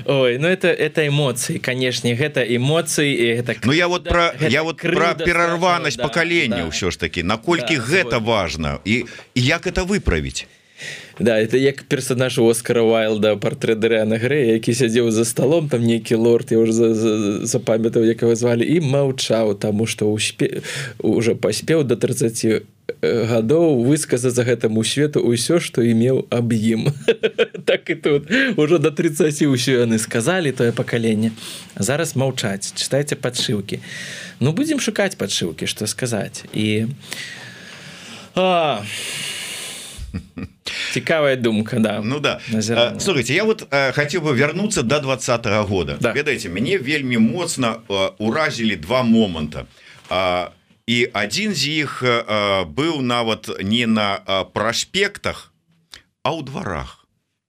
Ой, ну это это эмоцыі, канешне, гэта эмоцыі і гэта. Ну я вот про я вот про перарванасць да, пакалення ўсё да. ж такі, наколькі да, гэта свой. важна і, і як это выправіць. Да, это як персонаж Оскара Уайлда, партрэт Даріана Грэя, які сядзеў за столом, там нейкі лорд, я уже запамятаў, як его звалі, і маўчаў, таму што ўспе... уже паспеў до тридцати гадоў высказаць за гэтаму свету ўсё, што імеў аб ім. Так і тут. Ужо до тридцати ўсё яны сказалі, тое пакаленне. Зараз маўчаць, чытайце падшыўкі. Ну, будзем шукаць падшыўкі, што сказаць. І... А... Цікавая думка, да. Ну да. А, слушайте, я вот а, хотел бы вернуться до двадцатого года. Да. Ведаеце, мяне вельмі моцна а, уразілі два моманта. А, і адзін з іх а, быў нават не на а, праспектах, а ў дварах.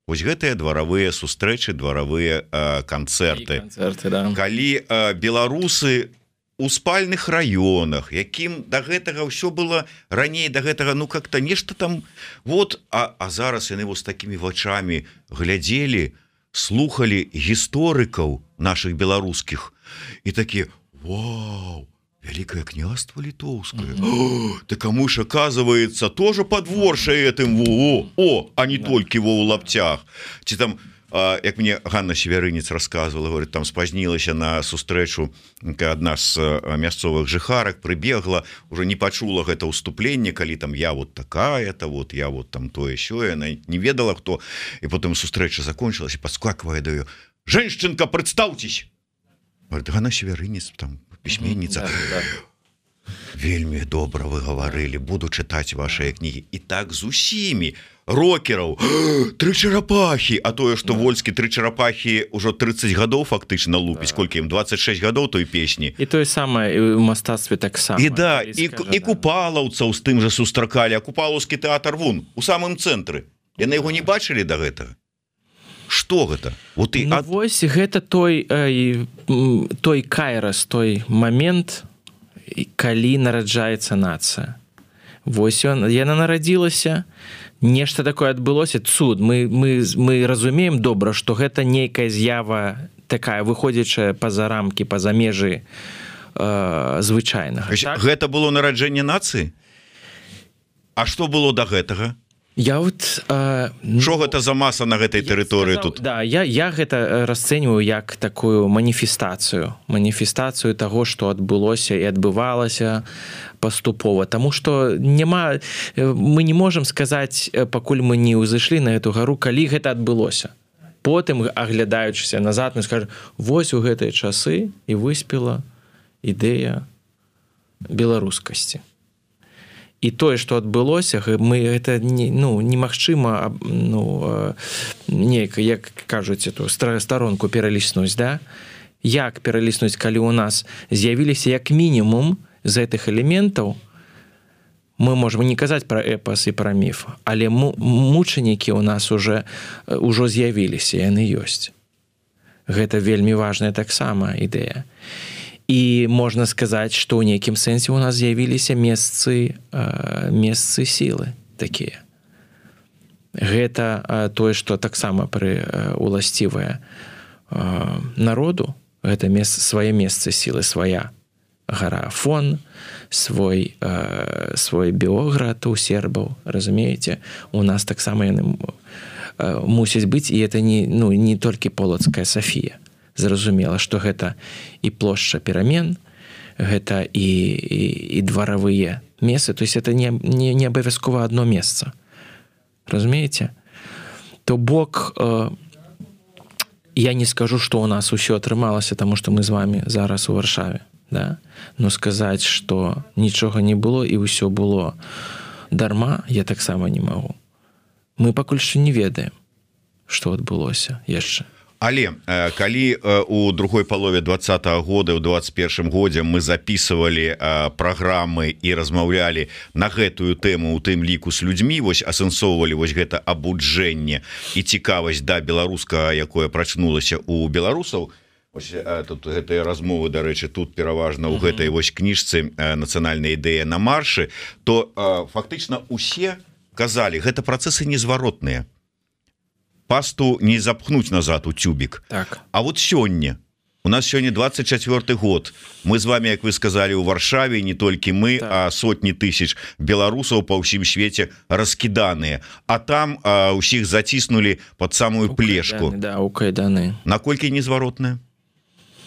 Вось гэтыя дваравыя сустрэчы, дваравыя а, канцэрты. Канцэрты, да. Калі а, беларусы у спальных раёнах, якім да гэтага ўсё было раней, да гэтага, ну как-то нешта там вот, а, а зараз яны вось такімі вачамі глядзелі, слухалі гісторыкаў наших беларускіх і такі: вау, Великое княство Литовское. Mm-hmm. Да кому ж, оказывается, тоже подворшая этим во, о, а не yeah. только его у лаптях. Чи там, а, як мне Ганна Северинец рассказывала, говорит, там спознилась на сустрэчу одна з мясцовых жыхарак, прыбегла, уже не пачула гэта ўступленне, калі там я вот такая-то, вот я вот там тое сёе, она не ведала кто, и потом сустрэча закончилась, и подскакивая до её: «Женщинка, представьтесь!» Говорит, Ганна Северинец, там, письменница. Mm-hmm, да, да. Вельмі добра вы гаварылі, буду чытаць вашыя кнігі. І так з усімі рокераў тры чарапахі, а тое што Вольскі тры чарапахі ўжо трыццаць гадоў фактычна лупіць, колькі ім дваццаць шэсць гадоў той песні. І тое самае у мастацтве таксама. І да, і, і купалаўцаў з тым жа сустракалі, а купалаўскі тэатр вон у самым цэнтры. Яны яго не бачылі да гэтага. Што гэта? Вот і ну, ад... вось гэта той э, той кайрас, той момент, калі нараджаецца нацыя. Вось ён, яна нарадзілася, нешта такое адбылося, цуд. Мы, мы, мы разумеем добра, што гэта нейкая з'ява такая, выходзячая па-за рамкі, па-за межы э, звычайнага. Так? Гэта было нараджэнне нацыі? А што было да гэтага? Я вот э, Што гэта за маса на гэтай тэрыторыі тут? Да, я, я гэта расцэньваю як такую маніфестацыю, маніфестацыю таго, што адбылося і адбывалася паступова. Таму што няма, мы не можам сказаць, пакуль мы не ўзышлі на эту гару, калі гэта адбылося. Потым, аглядаючыся назад, мы скажам, вось у гэтыя часы і выспела ідэя беларускасці. І тое, што адбылося, мы гэта не, ну, немагчыма ну, неяк, як кажуць, эту старонку пераліснуць, да? Як пераліснуць, калі ў нас з'явіліся як мінімум з гэтых элементаў, мы можам не казаць пра эпас і пра міф, але мучанікі ў нас уже ўжо з'явіліся, яны ёсць. Гэта вельмі важная таксама ідэя. І можна сказаць, што ў нейкім сэнсе ў нас з'явіліся месцы, месцы сілы такія. Гэта тое, што таксама пры уласцівае народу, гэта месца, свае месцы сілы, свая гара Афон, свой, свой Біоград у сербаў, разумееце? У нас таксама яны мусяць быць, і гэта не, ну, не толькі Полацкая Сафія. Зразумела, што гэта і плошча перамен, гэта і, і, і дваравыя месцы, то есть это не, не, не абавязкова одно месца. Разумееце? То бок, э, я не скажу, што ў нас усё атрымалася, таму што мы з вами зараз у Варшаве, да? Но сказаць, што нічога не было і ўсё было дарма, я таксама не магу. Мы пакуль што не ведаем, што адбылося яшчэ. Але калі у другой палове двадцатага года, у двадцать першым годзе мы записывалі праграмы і размаўлялі на гэтую тэму, у тым ліку з людзьмі, вось асэнсоўвалі вось гэта абуджэнне і цікавасць да беларускага, якое прачнулася у беларусаў. Ось, тут гэтыя размовы, дарэчы, тут пераважна ў гэтай вось кніжцы «Нацыянальная ідэя на маршы», то фактычна усе казалі, гэта працэсы незваротныя. Пасту не запхнуць назад у тюбік. Так. А вот сёння, у нас сёння двадцать четвёрты год, мы з вами, як вы сказали, у Варшаве, не толькі мы, так. а сотні тысяч беларусаў па ўсім свеце раскіданыя. А там а, усіх заціснулі под самую у плешку. Кайданы, да, у кайданы. Наколькі незваротныя?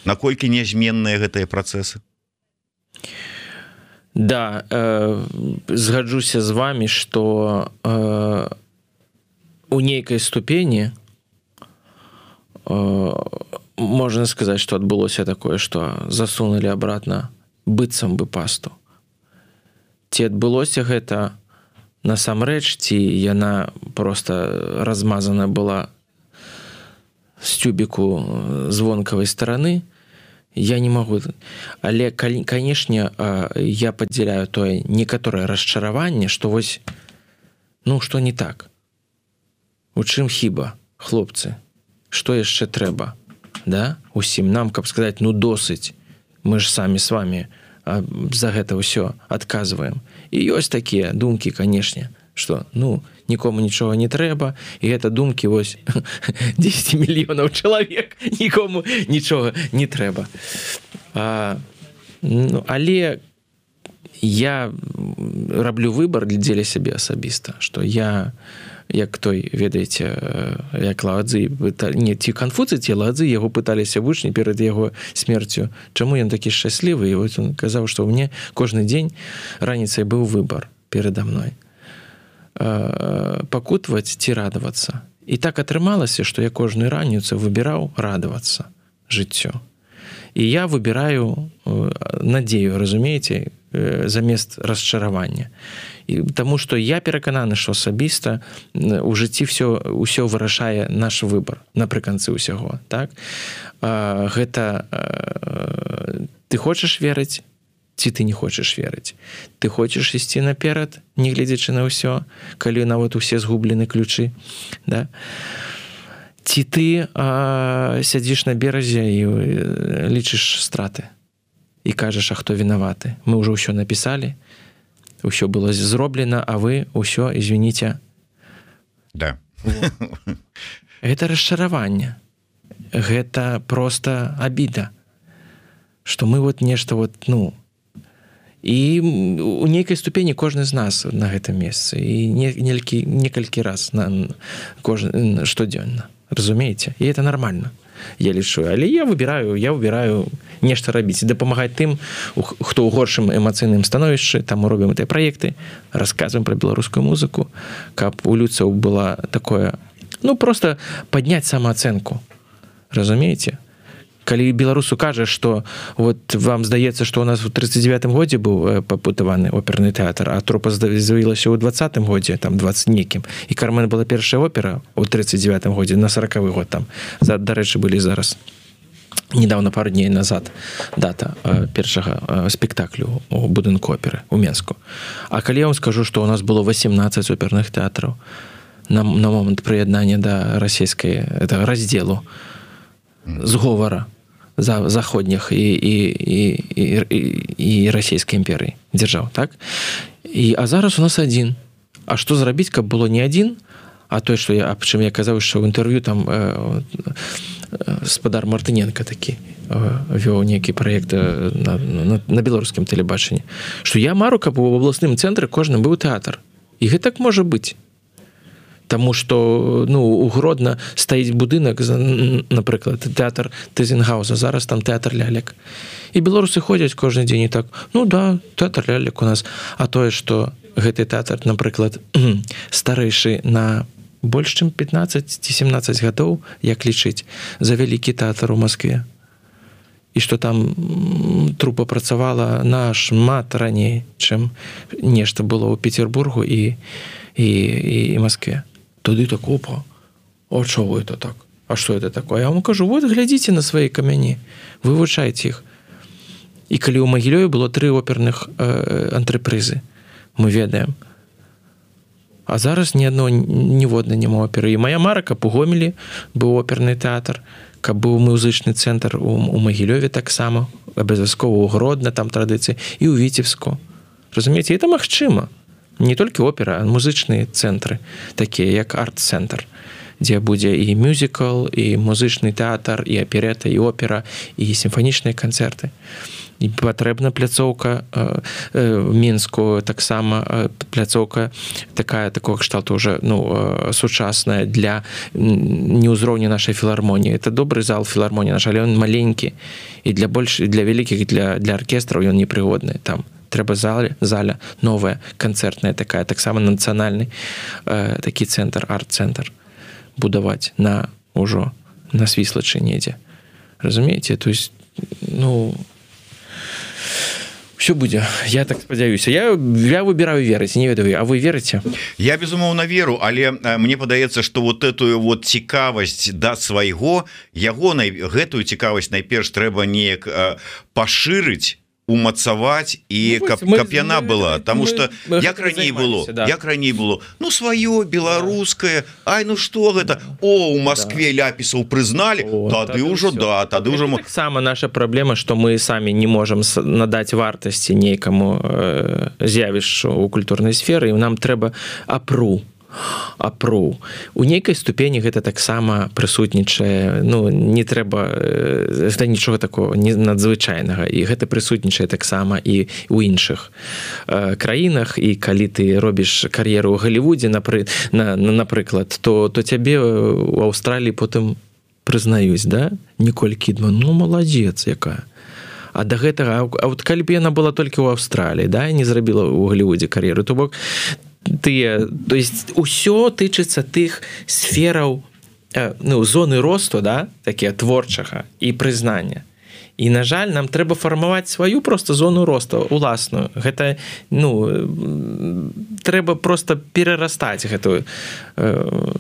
Наколькі нязменныя гэтыя працэсы? Да, э, згаджуся з вами, што... Э, у нейкай ступені э, можна сказаць, што адбылося такое, што засунулі абратна быццам бы пасту. Ці адбылося гэта насамрэч, ці яна проста размазана была з тюбіку звонкавай стараны, я не магу. Але, канешне, я падзяляю тое некаторае расчараванне, што вось, ну, што не так. У чым хіба, хлопцы? Што яшчэ трэба? Да? Усім нам, каб сказаць, ну досыць. Мы ж самі з вами за гэта ўсё адказваем. І ёсць такія думкі, канешне, што, ну, нікому нічога не трэба, і гэта думкі, вось, дзесяць мільёнаў чалавек, нікому нічога не трэба. А, ну, але я раблю выбар дзеля сябе асабіста, што я... як той, ведаеце, як Ладзы, не, ці Канфуцый, ці Ладзы, яго пыталіся вучні перад яго смерцю, чаму ён такі шчаслівы, і вот он казаў, што ў мне кожны дзень раніцай быў выбар перада мной. Пакутваць ці радавацца. І так атрымалася, што я кожную раніцу выбіраў радавацца жыццё. І я выбіраю надзею, разумееце, замест расчаравання. І таму што я перакананы, што асабіста у жыцці все ўсё вырашае наш выбар напрыканцы ўсяго, так? Гэта ты хочаш верыць, ці ты не хочаш верыць. Ты хочаш ісці наперад, не гледзячы на ўсё, калі нават усе згублены ключы, да? Ці ты а, сядзіш на беразе і лічыш страты і кажаш, а хто вінаваты? Мы ўжо ўсё напісалі, ўсё было зроблена, а вы ўсё, извините. Да. Гэта расчараванне. Гэта просто обіда, што мы вот нешта вот, ну, і у нейкай ступені кожны з нас на гэтым месцы і некалькі некалькі раз на кожны штодзённа, разумееце? І это нормально, я лічу, але я выбіраю я выбіраю нешта рабіць і дапамагаць тым, хто ў горшым эмацыйным становішчы, там мы робім гэтыя праекты, расказваем пра беларускую музыку, каб у людзяў была такое, ну просто падняць самаацэнку, разумееце? Калі беларусу кажа, што вот вам здаецца, што ў нас у тридцать девятым годзе быў пабудаваны оперны тэатр, а трупа з'явілася ў двадцатым годзе, там двадцать некім, і Кармен была першая опера ў тридцать девятым годзе, на сороковы год там, дарэчы, былі зараз недавно, пару дней назад дата першага спектаклю у будынку оперы у Менску. А калі я вам скажу, што ў нас было восемнадцать оперных тэатраў на, на момант прыяднання да расійскай это раздзелу зговара за заходніх і, і, і, і, і расійскай імперыі дзяржаў, так? І, а зараз у нас адзін. А што зрабіць, каб было не адзін, а той, што я, аб чым я казаў, што ў інтэрв'ю там э, э, спадар Мартыненка такі э, вёў нейкі праект на, на, на беларускім тэлебачанні, што я мару, каб у абласным цэнтры кожны быў тэатр. І гэтак можа быць. Таму што, ну, у Гродна стаіць будынак, напрыклад, тэатр Тызенгауза, зараз там тэатр лялек. І беларусы ходзяць кожны дзень і так, ну да, тэатр лялек у нас. А тое, што гэты тэатр, напрыклад, старэйшы на больш чым пятнаццаць ці семнаццаць гадоў, як лічыць, за вялікі тэатр у Маскве. І што там трупа працавала нашмат раней, чым нешта было ў Петербургу і, і, і, і Маскве. Тады так, опа, а чого это так? А что это такое? Я вам кажу, вот глядзіце на свае камяні, вывучайце іх. І калі ў Магілёве было тры оперных э, антрепрызы, мы ведаем. А зараз ні адно, ніводна няма оперы. І моя мара, каб у Гомелі быў оперны тэатр, каб быў музычны цэнтр у, у Магілёве таксама, абавязкова ў Гродна, там традыцыі, і ў Віцебску. Разумееце, это магчыма. Не толькі опера, а музычныя цэнтры, такія як арт-цэнтр, дзе будзе і мюзікл, і музычны тэатр, і аперета, і опера, і сімфанічныя канцэрты. І патрэбна пляцоўка э, э, Мінску, таксама э, пляцоўка такая, такого кшталту уже, ну, э, сучасная для не ўзроўня нашай філармоніі. Это добры зал філармоніі, наш, але ён маленькі, і для больш, для вялікіх, для, для аркестраў ён непрыгодны там. Трэба зале, заля новая, канцэртная такая, таксама нацыянальны э, такі цэнтр, арт-цэнтр будаваць на ўжо на Свіслачы недзе. Разумееце? То есть, ну, все будзе. Я так спадзяюся. Я, я выбіраю верыць, не ведаю, а вы верыце? Я, безумоўна, веру, але мне падаецца, што вот этую вот цікавасць да свайго, яго, гэтую цікавасць найперш трэба неяк пашырыць, умацаваць і ну, каб, мы, каб яна мы, была, таму што як раней было, да. як раней было, ну сваё беларускае, ай, ну што гэта, о, у Маскве да. ляпісаў прызналі, о, тады ўжо да, тады ўжо мы... Таксама наша праблема, што мы самі не можам надаць вартасці нейкаму э, з'явішчу ў культурнай сферы, і нам трэба апру апру. У нейкай ступені гэта таксама прысутнічае, ну, не трэба, гэта нічога такого не надзвычайнага, і гэта прысутнічае таксама і ў іншых э, краінах, і калі ты робіш кар'еру ў Галівудзе, напры, на, на, напрыклад, то, то цябе ў Аўстраліі потым прызнаюць, да? Ніколь Кідман, ну, маладзец якая. А да гэтага, а вот калі б яна была толькі ў Аўстраліі, да, і не зрабіла ў Галівудзе кар'еру, то бок тыя, то есть усё тычыцца тых сфераў, ну, зоны росту, да, такія творчага і прызнання. І на жаль, нам трэба фармаваць сваю просто зону росту уласную. Гэта ну трэба просто перарастаць гэтую э,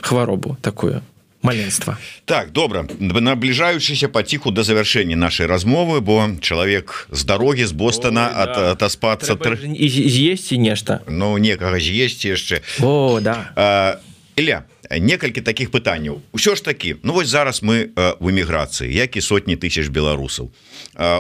хваробу такую. Маленства. Так, добра, набліжаючыся паціху да завяршэння нашай размовы, бо чалавек з дарогі з Бостона Ой, да. атаспацца трэба тр... з'есці нешта. Ну, некага з'есці яшчэ. О, да. А, Ілля, некалькі такіх пытанняў. Усё ж такі, ну вось зараз мы в эміграцыі, як і сотні тысяч беларусаў.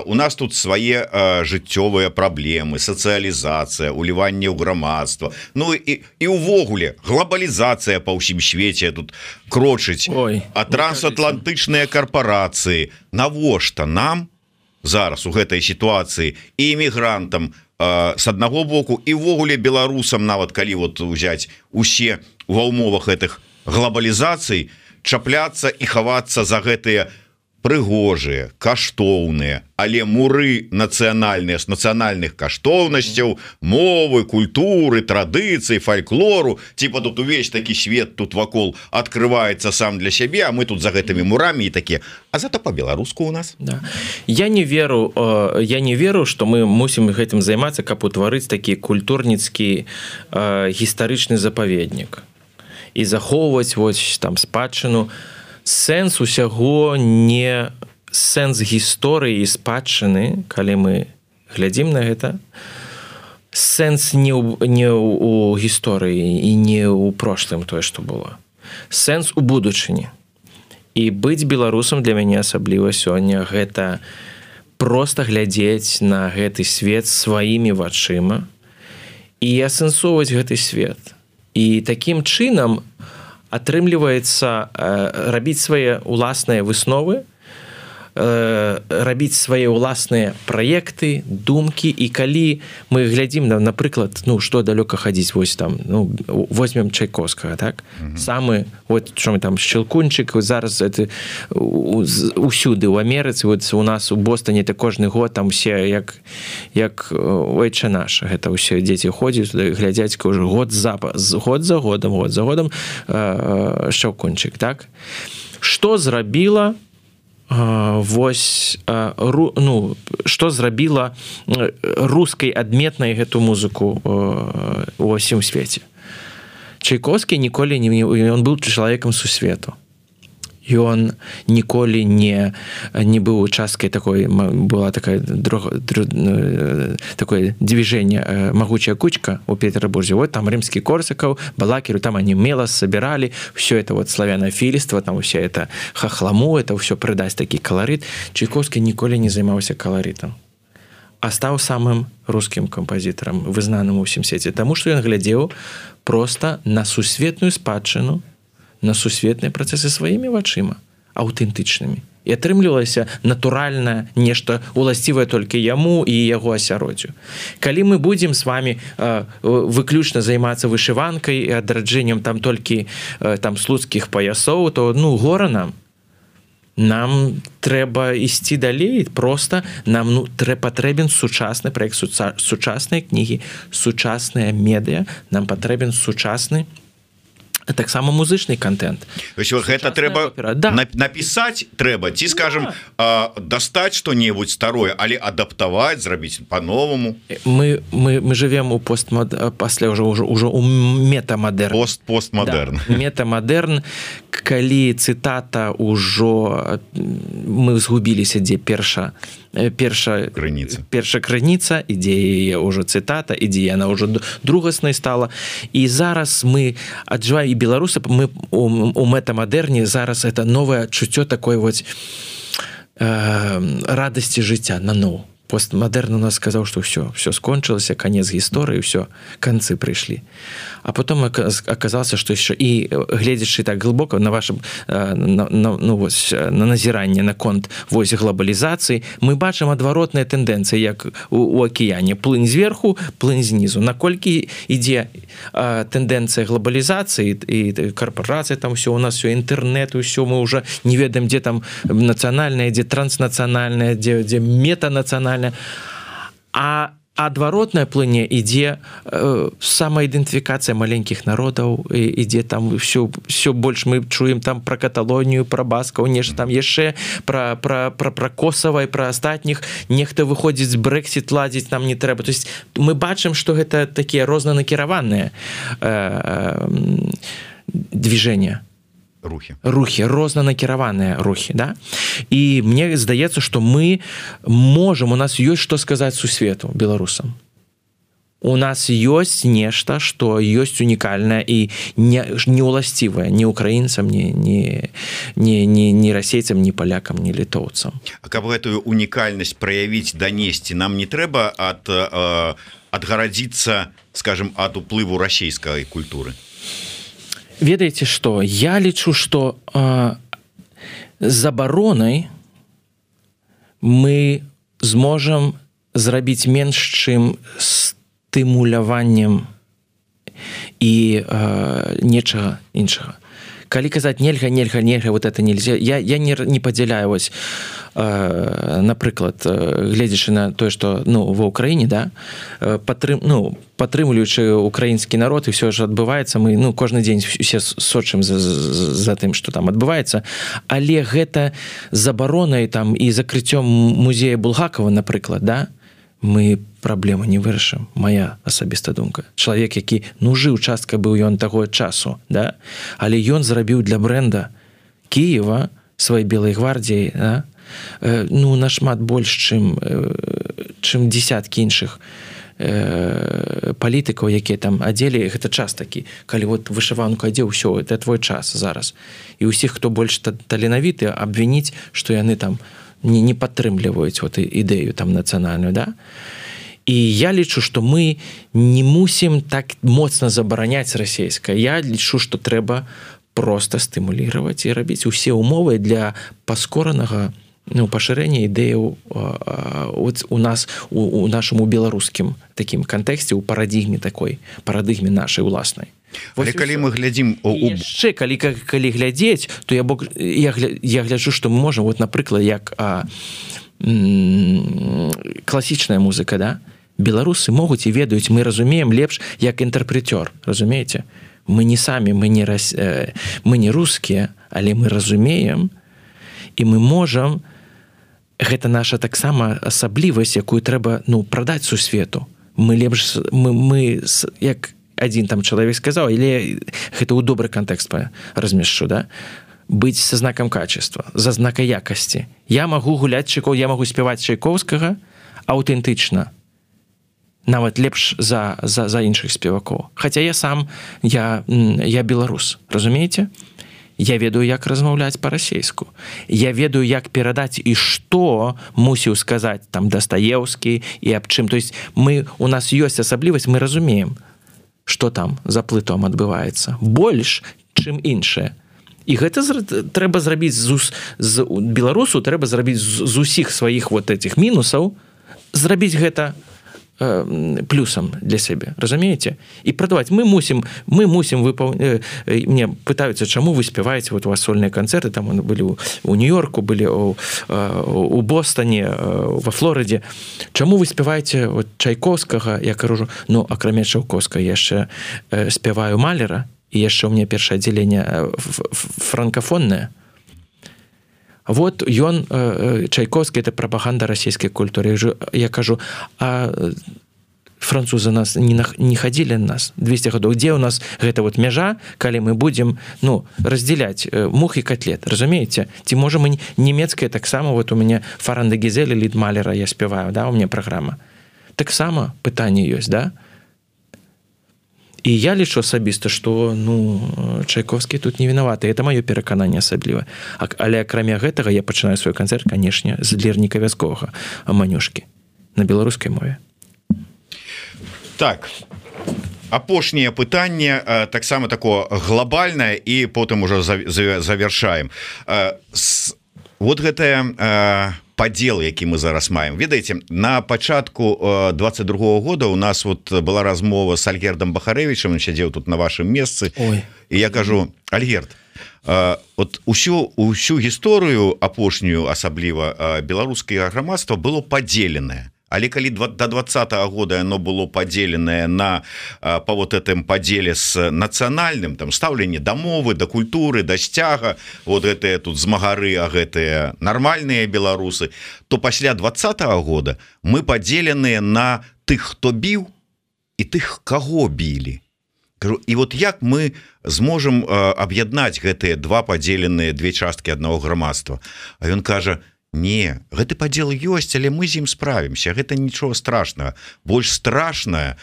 У нас тут свае жыццёвыя праблемы, сацыялізацыя, уліванне ў грамадства. Ну і, і ўвогуле глобалізацыя па ўсім свеце тут крочыць. Ой, а трансатлантычныя карпорацыі. Навошта нам зараз у гэтай сітуацыі і эмігрантам з аднаго боку і ўвогуле беларусам, нават калі вот узяць усе ва ўмовах гэтых глобалізацый, чапляцца і хавацца за гэтыя прыгожыя, каштоўныя, але муры нацыянальныя з нацыянальных каштоўнасцяў, мовы, культуры, традыцыі, фальклору, типа тут увесь такі свет тут вакол открываецца сам для сябе, а мы тут за гэтымі мурамі і такія. А зато по-беларуску у нас. Да. Я не веру, я не веру, што мы мусім гэтым займацца, каб утварыць такі культурніцкі гістарычны запаведнік і захоўваць вось там спадчыну. Сэнс усяго не сэнс гісторыі і спадчыны, калі мы глядзім на гэта, сэнс не ў, не ў гісторыі і не ў прошлым тое, што было. Сэнс у будучыні. І быць беларусам для мяне асабліва сёння гэта проста глядзець на гэты свет сваімі вачыма і асэнсоўваць гэты свет. І такім чынам атрымліваецца э, рабіць свае ўласныя высновы, э, рабіць свае ўласныя праекты, думкі, і калі мы глядзім на, напрыклад, ну што далёка хадзіць, вось там, ну возьмем Чайковскага, так? Mm-hmm. Самы, вот што мы там Шчелкунчык, зараз это усюды ў Амерыцы, вот у нас у Бостоне это кожны год там усе як як ойча наш, гэта ўсе дзеці ходзяць туды, глядзяць кожны год за год за годам, год за годам э, Шчелкунчык, так? Што зрабіла вось ру, ну, што зрабіла рускай адметнай гэту музыку у ўсім свеце. Чайковскі ніколі не ён быў чалавекам сусвету. Ён ніколі не не быў часткай такой, была такая друг, друг, такое движение «Могучая кучка» у Петербурге. Вот там Римский Корсаков, Балакиру, там они мелос собирали, все это вот славянофильство, там все это хохламу, это все придасть такий колорит. Чайковский ніколі не займаўся колоритом, а стаў самым рускім кампазітарам, вызнаным у ўсім свеце, таму што ён глядзеў проста на сусветную спадчыну, на сусветныя працэсы сваімі вачыма, аўтэнтычнымі. І атрымлівалася натуральна нешта уласцівае толькі яму і яго асяроддзю. Калі мы будзем з вами э, выключна займацца вышыванкай і адраджэннем там толькі э, там слуцкіх паясоў, то ну гора нам. Нам трэба ісці далей, просто нам ну, трэ, патрэбен сучасны праект, сучасныя кнігі, сучасныя медыа, нам патрэбен сучасны таксама музычны контент. Гэта трэба да. напісаць трэба, ці скажем да. дастаць што-небудзь старое, але адаптаваць, зрабіць по-новаму. Мы, мы, мы живем у постмод... пасля ўжо, ўжо, ўжо у метамадэрн. Пост, постмадэрн. Да. Метамадэрн, калі цытата ўжо мы згубіліся, дзе перша перша крыніца, перша крыніца, ідзе яе ўжо цытата, ідзе яна ўжо другаснай стала. І зараз мы аджываем, і беларусы, мы у, у метамадэрне зараз это новае адчуццё такой вот э, радасці жыцця наноў. Постмадэрн у нас сказаў, што ўсё, ўсё скончылася, канец гісторыі, ўсё, канцы прыйшлі. А потом аказалася, што яшчэ і гледзячы так глыбока на вашым на, на, ну, вось, на назіранне наконт вось глобалізацыі, мы бачым адваротныя тэндэнцыі, як у, у акіяне. Плынь зверху, плынь знізу. Наколькі ідзе а, тэндэнцыя глобалізацыі і карпорацыі, там ўсё, у нас ўсё інтэрнет, ўсё, мы ўжо не ведаем, дзе там нацыянальнае, дзе транснацыянальнае, дзе, дзе метанацыянальнае. А адваротная плыне ідзе э, самаідэнтыфікацыя маленькіх народаў, ідзе там все, все больш мы чуем там про Каталонію, про баскаў, нешта там яшчэ про, про, про, про Косова і про астатніх, нехта выходзіць з Брэксіт ладзіць нам не трэба. То есть мы бачым, што гэта такія рознанакіраваныя э, э, движения. Рухи. Рухи, рознанакіраваныя рухи, да? І мне здаецца, што мы можам, у нас ёсць што сказаць сусвету, беларусам. У нас ёсць нешта, што ёсць унікальнае і не, не уласцівае ні украінцам, ні, ні, ні, ні, ні расейцам, ні палякам, ні літоўцам. А каб гэтую унікальнасць праявіць, данесці, нам не трэба ад, э, адгарадзіцца, скажем, ад уплыву расійскай культуры? Ведаеце што, я лічу, што э, забаронай мы зможам зрабіць менш, чым стымуляваннем і э, нечага іншага. Калі казаць нельга, нельга, нельга, вот это нельзя, я, я не, не падзяляю, вось, э, напрыклад, э, гледзячы на тое, што ну, ва Ўкраіне, да, э, падтрым, ну, падтрымліваючы украінскі народ, і все ж адбываецца, мы ну, кожны дзень усе сочым за, за, за тым, што там адбываецца, але гэта забаронай там і закрыццём музея Булгакова, напрыклад, да, мы праблему не вырашым, моя асабістая думка. Чалавек, які ну жыў, частка быў ён таго часу, да? Але ён зрабіў для бренда Киева сваёй белай гвардіі, да? э, ну нашмат больш, чым, э, чым десяткі іншых э, палітыкаў, якія там адзелі, гэта час такі, калі вот вышыванку адзеў, ўсё, это твой час зараз. І ўсіх, хто больш таленавіты, абвініць, што яны там не, не падтрымліваюць вот ідэю там нацыянальную, да? І я лічу, што мы не мусім так моцна забараняць расійскае. Я лічу, што трэба проста стымулировать і рабіць усе умовы для паскоранага ну, пашырэння ідэяў у нас у, у нашаму беларускім такім кантэксце, у парадыгме такой, парадыгме нашай уласнай. Але калі мы глядзім у... яшчэ калі, калі глядзець, то я, бок, я, я гляджу, што мы можам, вот, напрыклад, як а, м, класічная музыка, да? Беларусы могуць і ведаюць, мы разумеем лепш як інтэрпрэтёр, разумееце? Мы не самі, мы не, рас... мы не рускія, але мы разумеем, і мы можам, гэта наша таксама асаблівасць, якую трэба ну, прадаць сусвету. Мы лепш, мы, мы як адзін там чалавек сказаў, але гэта ў добры кантэкст размешчу, да? Быць са знакам качества, за знака якасці. Я магу гуляць Чайкоў, я магу спяваць Чайкоўскага аўтэнтычна, нават лепш за, за, за іншых спевакоў. Хаця я сам, я, я беларус, разумееце? Я ведаю, як размаўляць па-расейску. Я ведаю, як перадаць і што мусіў сказаць там Дастаеўскі і аб чым. То есть мы, у нас ёсць асаблівасць, мы разумеем, што там за плытом адбываецца. Больш, чым іншае. І гэта трэба зрабіць з, з беларусу, трэба зрабіць з, з усіх сваіх вот этих мінусаў, зрабіць гэта плюсам для сябе, разумееце? І прадаваць. Мы мусім, мы мусім выпаўняць... Мне пытаюцца, чаму вы спяваеце, вот у вас сольныя канцэрты, там былі у Нью-Йорку, былі у, у Бостане, во Флорыдзе. Чаму вы спяваеце вот Чайковскага, я кажу, ну, акрамя Чайковскага, я яшчэ спяваю Малера, і яшчэ ў мяне першае аддзяленне франкафоннае. Вот ён, Чайковскі, это прапаганда расійскай культуры. Я кажу, а французы нас не, не хадзілі на нас двести гадоў. Дзе ў нас гэта вот мяжа, калі мы будзем ну, раздзяляць мух і котлет, разумееце? Ці можа мы нямецкая таксама, вот у мяне Фаранда Гізеля, Лід Малера я спяваю, да, у мяне праграма. Таксама пытанне ёсць, да? І я лічу асабіста, што ну, Чайковскі тут не вінаваты. Это маё перакананне асабліва. Але акрамя гэтага я пачынаю свой канцэрт, канешне, з лірніка вясковага Манюшкі на беларускай мове. Так, апошняе пытанне таксама такое глобальнае і потым ужо завяршаем. Вот гэтая падзел, які мы зараз маем. Ведаеце, на пачатку двадцать другого года у нас вот была размова з Альгердам Бахарэвічам, он сядзеў тут на вашым месцы. Ой. І я кажу, Альгерд, вот усю, усю гісторыю апошнюю, асабліва беларускае грамадства было падзеленае. Але калі до двадцатого года оно было поделенное на по вот этом поделе с национальным там ставленне до мовы, до культуры, до сцяга, вот это тут змагары, а гэтые нормальные беларусы, то пасля двадцатого года мы поделенные на тых, хто біў і тых, каго білі. І вот як мы зможам аб'яднаць гэтыя два падзеленыя две часткі аднаго грамадства? А ён кажа: не, гэты падзел ёсць, але мы з ім справімся, гэта нічого страшнага. Больш страшная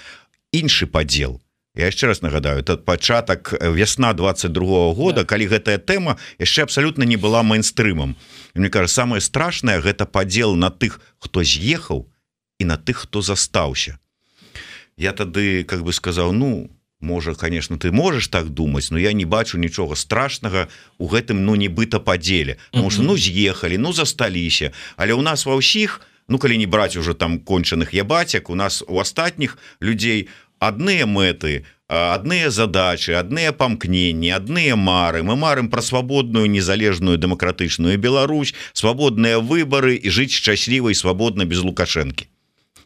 іншы падзел. Я яшчэ раз нагадаю, это пачатак вясна двадцать другого года, да. Калі гэтая тэма яшчэ абсалютна не была мейнстрымам. І мне кажа, самае страшнае гэта падзел на тых, хто з'ехаў, і на тых, хто застаўся. Я тады как бы сказаў: ну, можа, конечно, ты можешь так думаць, но я не бачу нічога страшнага у гэтым, ну, нібыта падзеле. Потому что, ну, з'ехалі, ну, засталіся. Але у нас ва ўсіх, ну, калі не браць уже там кончаных ябацяк, у нас у астатніх людзей адныя мэты, адныя задачы, адныя памкненні, адныя мары. Мы марым пра свабодную, незалежную, дэмакратычную Беларусь, свабодныя выбары і жыць шчасліва і свабодна без Лукашэнкі.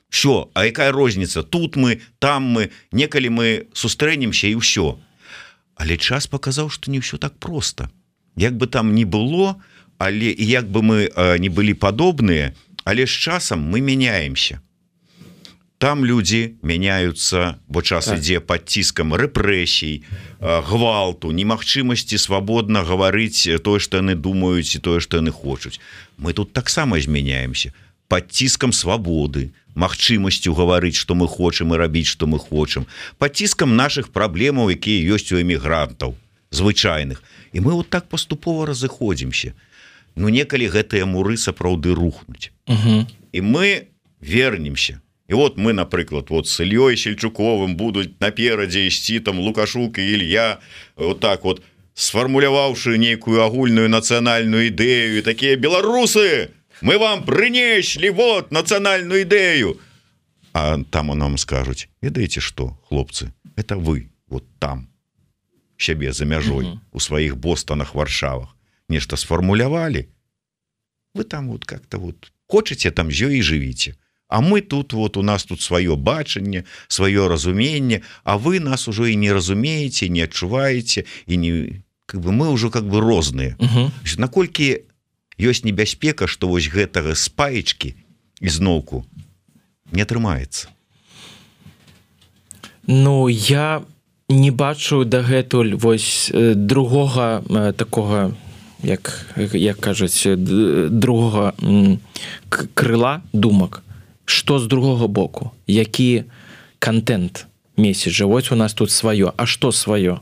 Все, а якая розніца? Тут мы, там мы, некалі мы сустрэнемся і ўсё. Але час паказаў, што не ўсё так проста. Як бы там ні было, але і як бы мы э, не былі падобныя, але з часам мы мяняемся. Там людзі мяняюцца, бо час так. ідзе пад ціскам рэпрэсій, э, гвалту, немагчымасці свабодна гаварыць тое, што яны думаюць, і тое, што яны хочуць. Мы тут таксама змяняемся пад ціскам свабоды, магчымасцю гаварыць, што мы хочам і рабіць, што мы хочам, пад ціскам нашых праблемаў, якія ёсць у эмігрантаў звычайных. І мы вот так паступова разыходзімся. Ну, некалі гэтыя муры сапраўды рухнуць. Угу. І мы вернемся. І вот мы, напрыклад, вот с Ільёй Сельчуковым будуць наперадзе ісці там Лукашук і Ілья, вот так вот, сфармуляваўшы нейкую агульную нацыянальную ідэю, і такія: беларусы, мы вам прынеслі вот национальную идею. А там нам скажуць: ведаеце что, хлопцы, это вы вот там сябе за мяжой, угу. у сваіх Бостонах, Варшавах нешта сфармулявалі, вы там вот как-то вот хочаце, там з ёй і жывіце, а мы тут вот, у нас тут сваё бачанне, сваё разуменне, а вы нас ужо і не разумееце, не адчуваеце, і не как бы мы ўжо как бы розныя. Угу. Наколькі ёсць небяспека, што вось гэтага спаечкі ізноўку не атрымаецца? Ну, я не бачу дагэтуль вось другога такога, як, як кажуць, другога крыла думак. Што з другога боку? Які контент меседжа? Вось у нас тут сваё. А што сваё?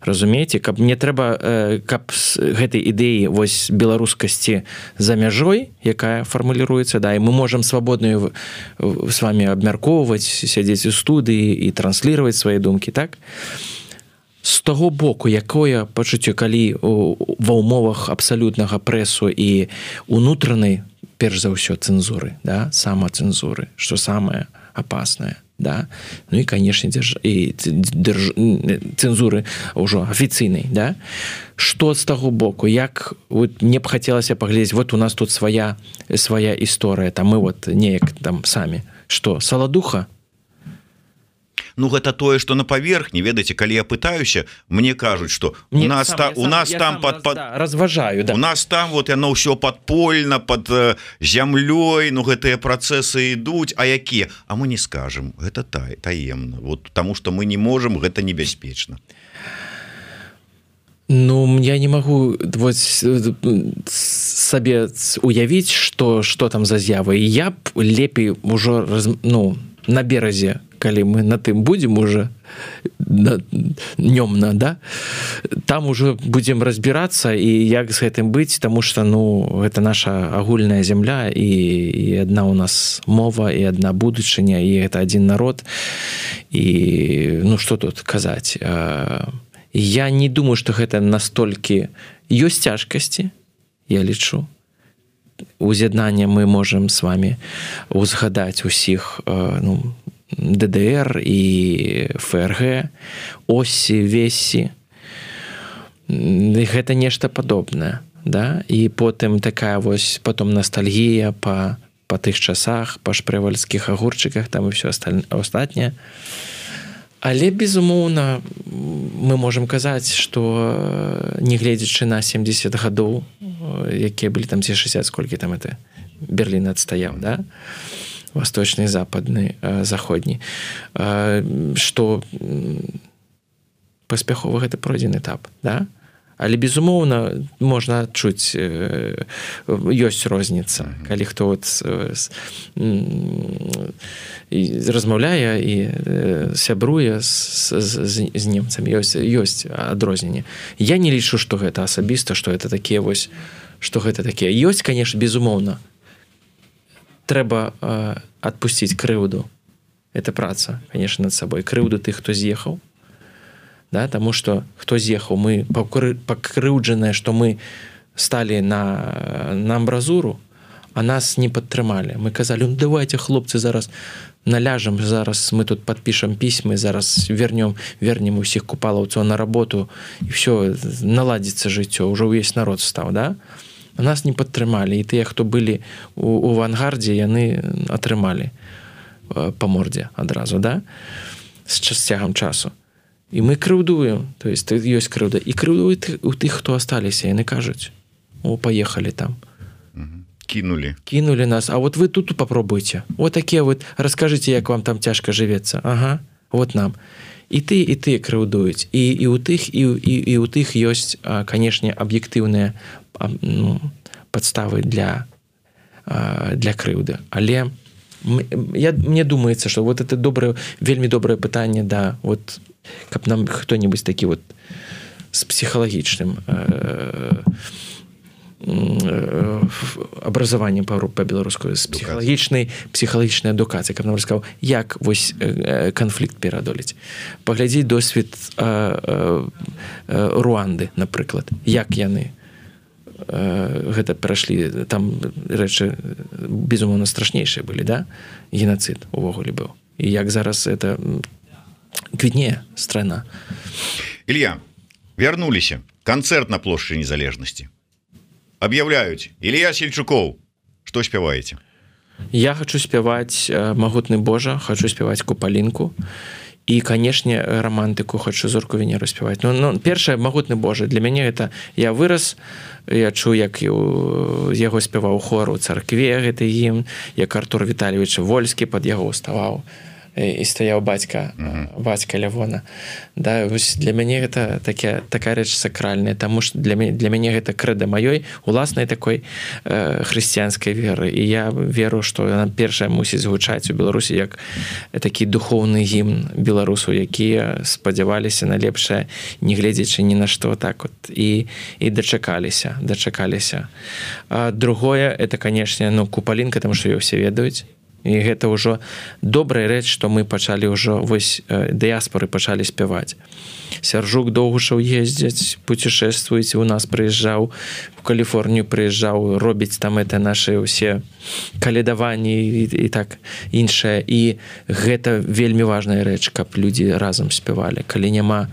Разумееце, каб не трэба, каб з гэтай ідэі вось беларускасці за мяжой, якая фармуліруецца, да, і мы можам свабодна з вами абмяркоўваць, сядзець у студыі і трансліраваць свае думкі, так? З таго боку, якое пачуццё, калі ва ўмовах абсалютнага прэсу і унутранай, перш за ўсё, цэнзуры, да, самацэнзуры, што самае апаснае. Да? Ну і, конечно, держ... і держ... цэнзуры ўжо афіцыйнай, да? Што з таго боку, як вот, мне б хацелася паглядзець, вот у нас тут свая свая історыя, там мы вот неяк там самі, што, саладуха? Ну, гэта тое, што на паверхні, ведаеце, калі я пытаюся, мне кажуць, што у нас, сам, та, у нас сам, там пад, пад... да, разважаю, да. У нас там вот яно ўсё падпольна, пад э, зямлёй, ну гэтыя працэсы ідуць, а якія? А мы не скажам, гэта тай, таемна, вот, таму што мы не можам, гэта небяспечна. Ну, я не магу вот, сабе уявіць, што, што там за з'явы. Я б лепей ужо, ну, на беразе, калі мы на тым будзем уже днёмна, да, там уже будзем разбірацца і як з гэтым быць, таму што, ну, гэта наша агульная зямля, і, і адна у нас мова, і адна будучыня, і гэта адзін народ, і, ну, што тут казаць? Я не думаю, што гэта настолькі ёсць цяжкасці, я лічу. Уз'яднання мы можам з вами узгадаць усіх, ну, ДДР і ФРГ, Осі, Весі. Гэта нешта падобнае, да? І потым такая вось, потым ностальгія па, па тых часах, па шпрэвальскіх агурчыках, там і ўсё астатняе. Але, безумоўна, мы можам казаць, што нягледзячы на семдзесят гадоў, якія былі там ці шэсцьдзесят, сколькі там это Берлін адстаяў, да? Восточны, западны, заходні, што паспяхова гэта пройдзены этап, да? Але, безумоўна, можна адчуць, ёсць розніца, калі хто от размаўляе і сябруе з, з, з немцамі, ёсць, ёсць адрозненне. Я не лічу, што гэта асабіста, што гэта такія вось, што гэта такія. Ёсць, конечно, безумоўна. Трэба э, адпусціць крыўду. Это праца, конечно, над сабой. Крыўду тых, хто з'ехаў. Да, таму што хто з'ехаў, мы пакрыўджаныя, што мы сталі на, на амбразуру, а нас не падтрымалі. Мы казалі, ну давайте, хлопцы, зараз наляжам, зараз мы тут падпішам пісьмы, зараз вернем, вернем усіх купалаўцаў на работу, і все, наладзіцца жыццё, ўжо ўвесь народ стаў, да? А нас не падтрымалі, і тыя, хто былі у, у авангардзе, яны атрымалі па мордзе адразу, да? З цягам часу. І мы крыўдуем, то есть ёсць крыўда, і крыўдуюць у тых, хто асталіся, яны кажуць, о, паехалі там. Кинули. Кинули нас, а вот вы тут попробуйте. Вот такие вот, расскажите, як вам там тяжко живется. Ага, вот нам. І ты, і ты крыўдуюць. І, і у тых, і, і, і у тых ёсць, канешне, аб'ектыўныя ну, падставы для, для крыўды. Але я, мне думаецца, што вот это доброе, вельмі добрае пытанне, да, вот, каб нам хто-небудзь такі вот з псіхалагічным э, э, абразаваннем па-беларуску, з псіхалагічнай псіхалагічнай адукацыі, каб нам расказаў, як вось э, канфлікт пераадолець. Паглядзіць досвед э, э, Руанды, напрыклад, як яны э, гэта перайшлі, там рэчы безумоўна страшнейшыя былі, да? Геноцид увогуле быў. І як зараз это квітнее страна. Илья, вернулись. Концерт на площади Незалежности. Объявляют. Илья Сельчуков. Что спеваете? Я хочу спевать «Могутный Божа», хочу спевать «Купалинку». И, конечно, романтику хочу «Зорку Венеру» спевать. Но, но первое «Могутный Божа». Для меня это... Я вырос, я чую, як его спевал хор у церкве, это гимн, як Артур Витальевич Вольский под его уставал. І стаяў бацька, uh-huh. бацька Лявона. Да, для мяне гэта такі, такая рэч сакральная, таму што для, для мяне гэта крэда маёй уласнай такой э, хрысціянскай веры. І я веру, што яна першая мусіць гучаць у Беларусі як такі духоўны гімн беларусаў, якія спадзяваліся на лепшае, не гледзячы ні на што, так вот, і, і дачакаліся, дачакаліся. А другое, это, канешне, ну, Купалінка, таму што ёй усе ведаюць. І гэта ўжо добрая рэч, што мы пачалі ўжо, вось, дыяспоры пачалі спяваць. Сяржук Доўгушаў ездзяць, путешествуюць, у нас прыязджаў, у Каліфорнію прыязджаў, робіць там это нашы ўсе калядаванні і, і так іншае. І гэта вельмі важная рэч, каб людзі разам спявалі. Калі няма,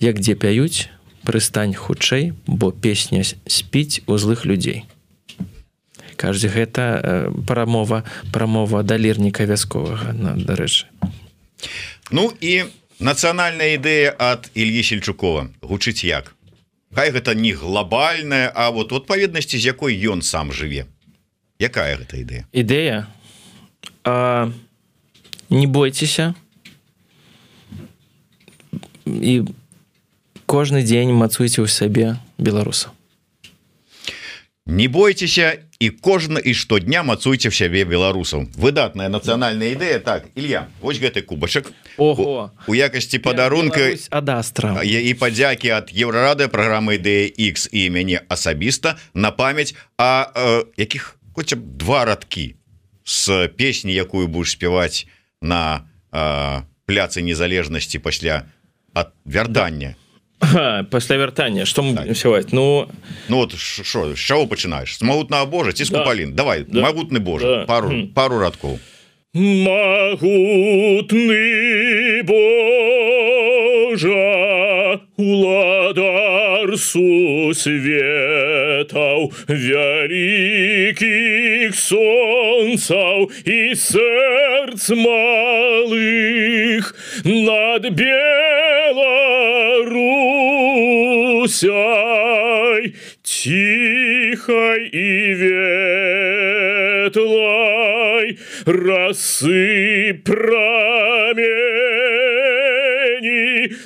як дзе пяюць, прыстань хутчэй, бо песня спіць у злых людзей. Каждый гэта прамова, прамова да лірніка вясковага, дарэчы. Ну і нацыянальная ідэя ад Ільі Сельчукова гучыць як? Хай гэта не глобальная, а вот у адпаведнасці, з якой ён сам жыве. Якая гэта ідэя? Ідэя? А, не бойцеся. І кожны дзень мацуйце ў сабе беларусаў. Не бойцеся і кожны і штодня мацуйце в сябе беларусаў. Выдатная нацыянальная ідэя. Так, Илья, вось гэты кубачак. Ого. У, у якасці падарунка ад Астра. І падзякі ад Еўрарады, праграмы Ідэя Х і мяне асабіста на памяць, а э, якіх хоць б два радкі з песні, якую будеш спяваць на э, пляцы Незалежнасці пасля ад вяртання. Ага, пасля вяртання, што мы будем спяваць? Ну, ну вот що, з чаго пачынаеш? З Магутнага Божа ці з да. Купалін? Давай, да. Магутны Божа, да. пару, хм. пару радкоў. Могутный Божа, улада цар сусветаў, вялікіх сонцаў і сэрц малых над Беларусяй тихой и ветлой расы прамени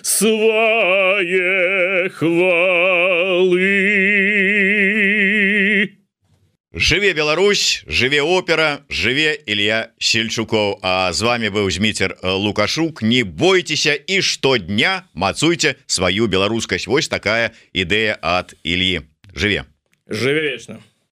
свае хвалы. Жыве Беларусь, жыве опера, жыве Илья Сельчуков. А з вами быў Зміцер Лукашук. Не бойцеся і штодня мацуйте сваю беларускасць. Вось такая ідэя ад Ильи. Жыве. Жыве вечна.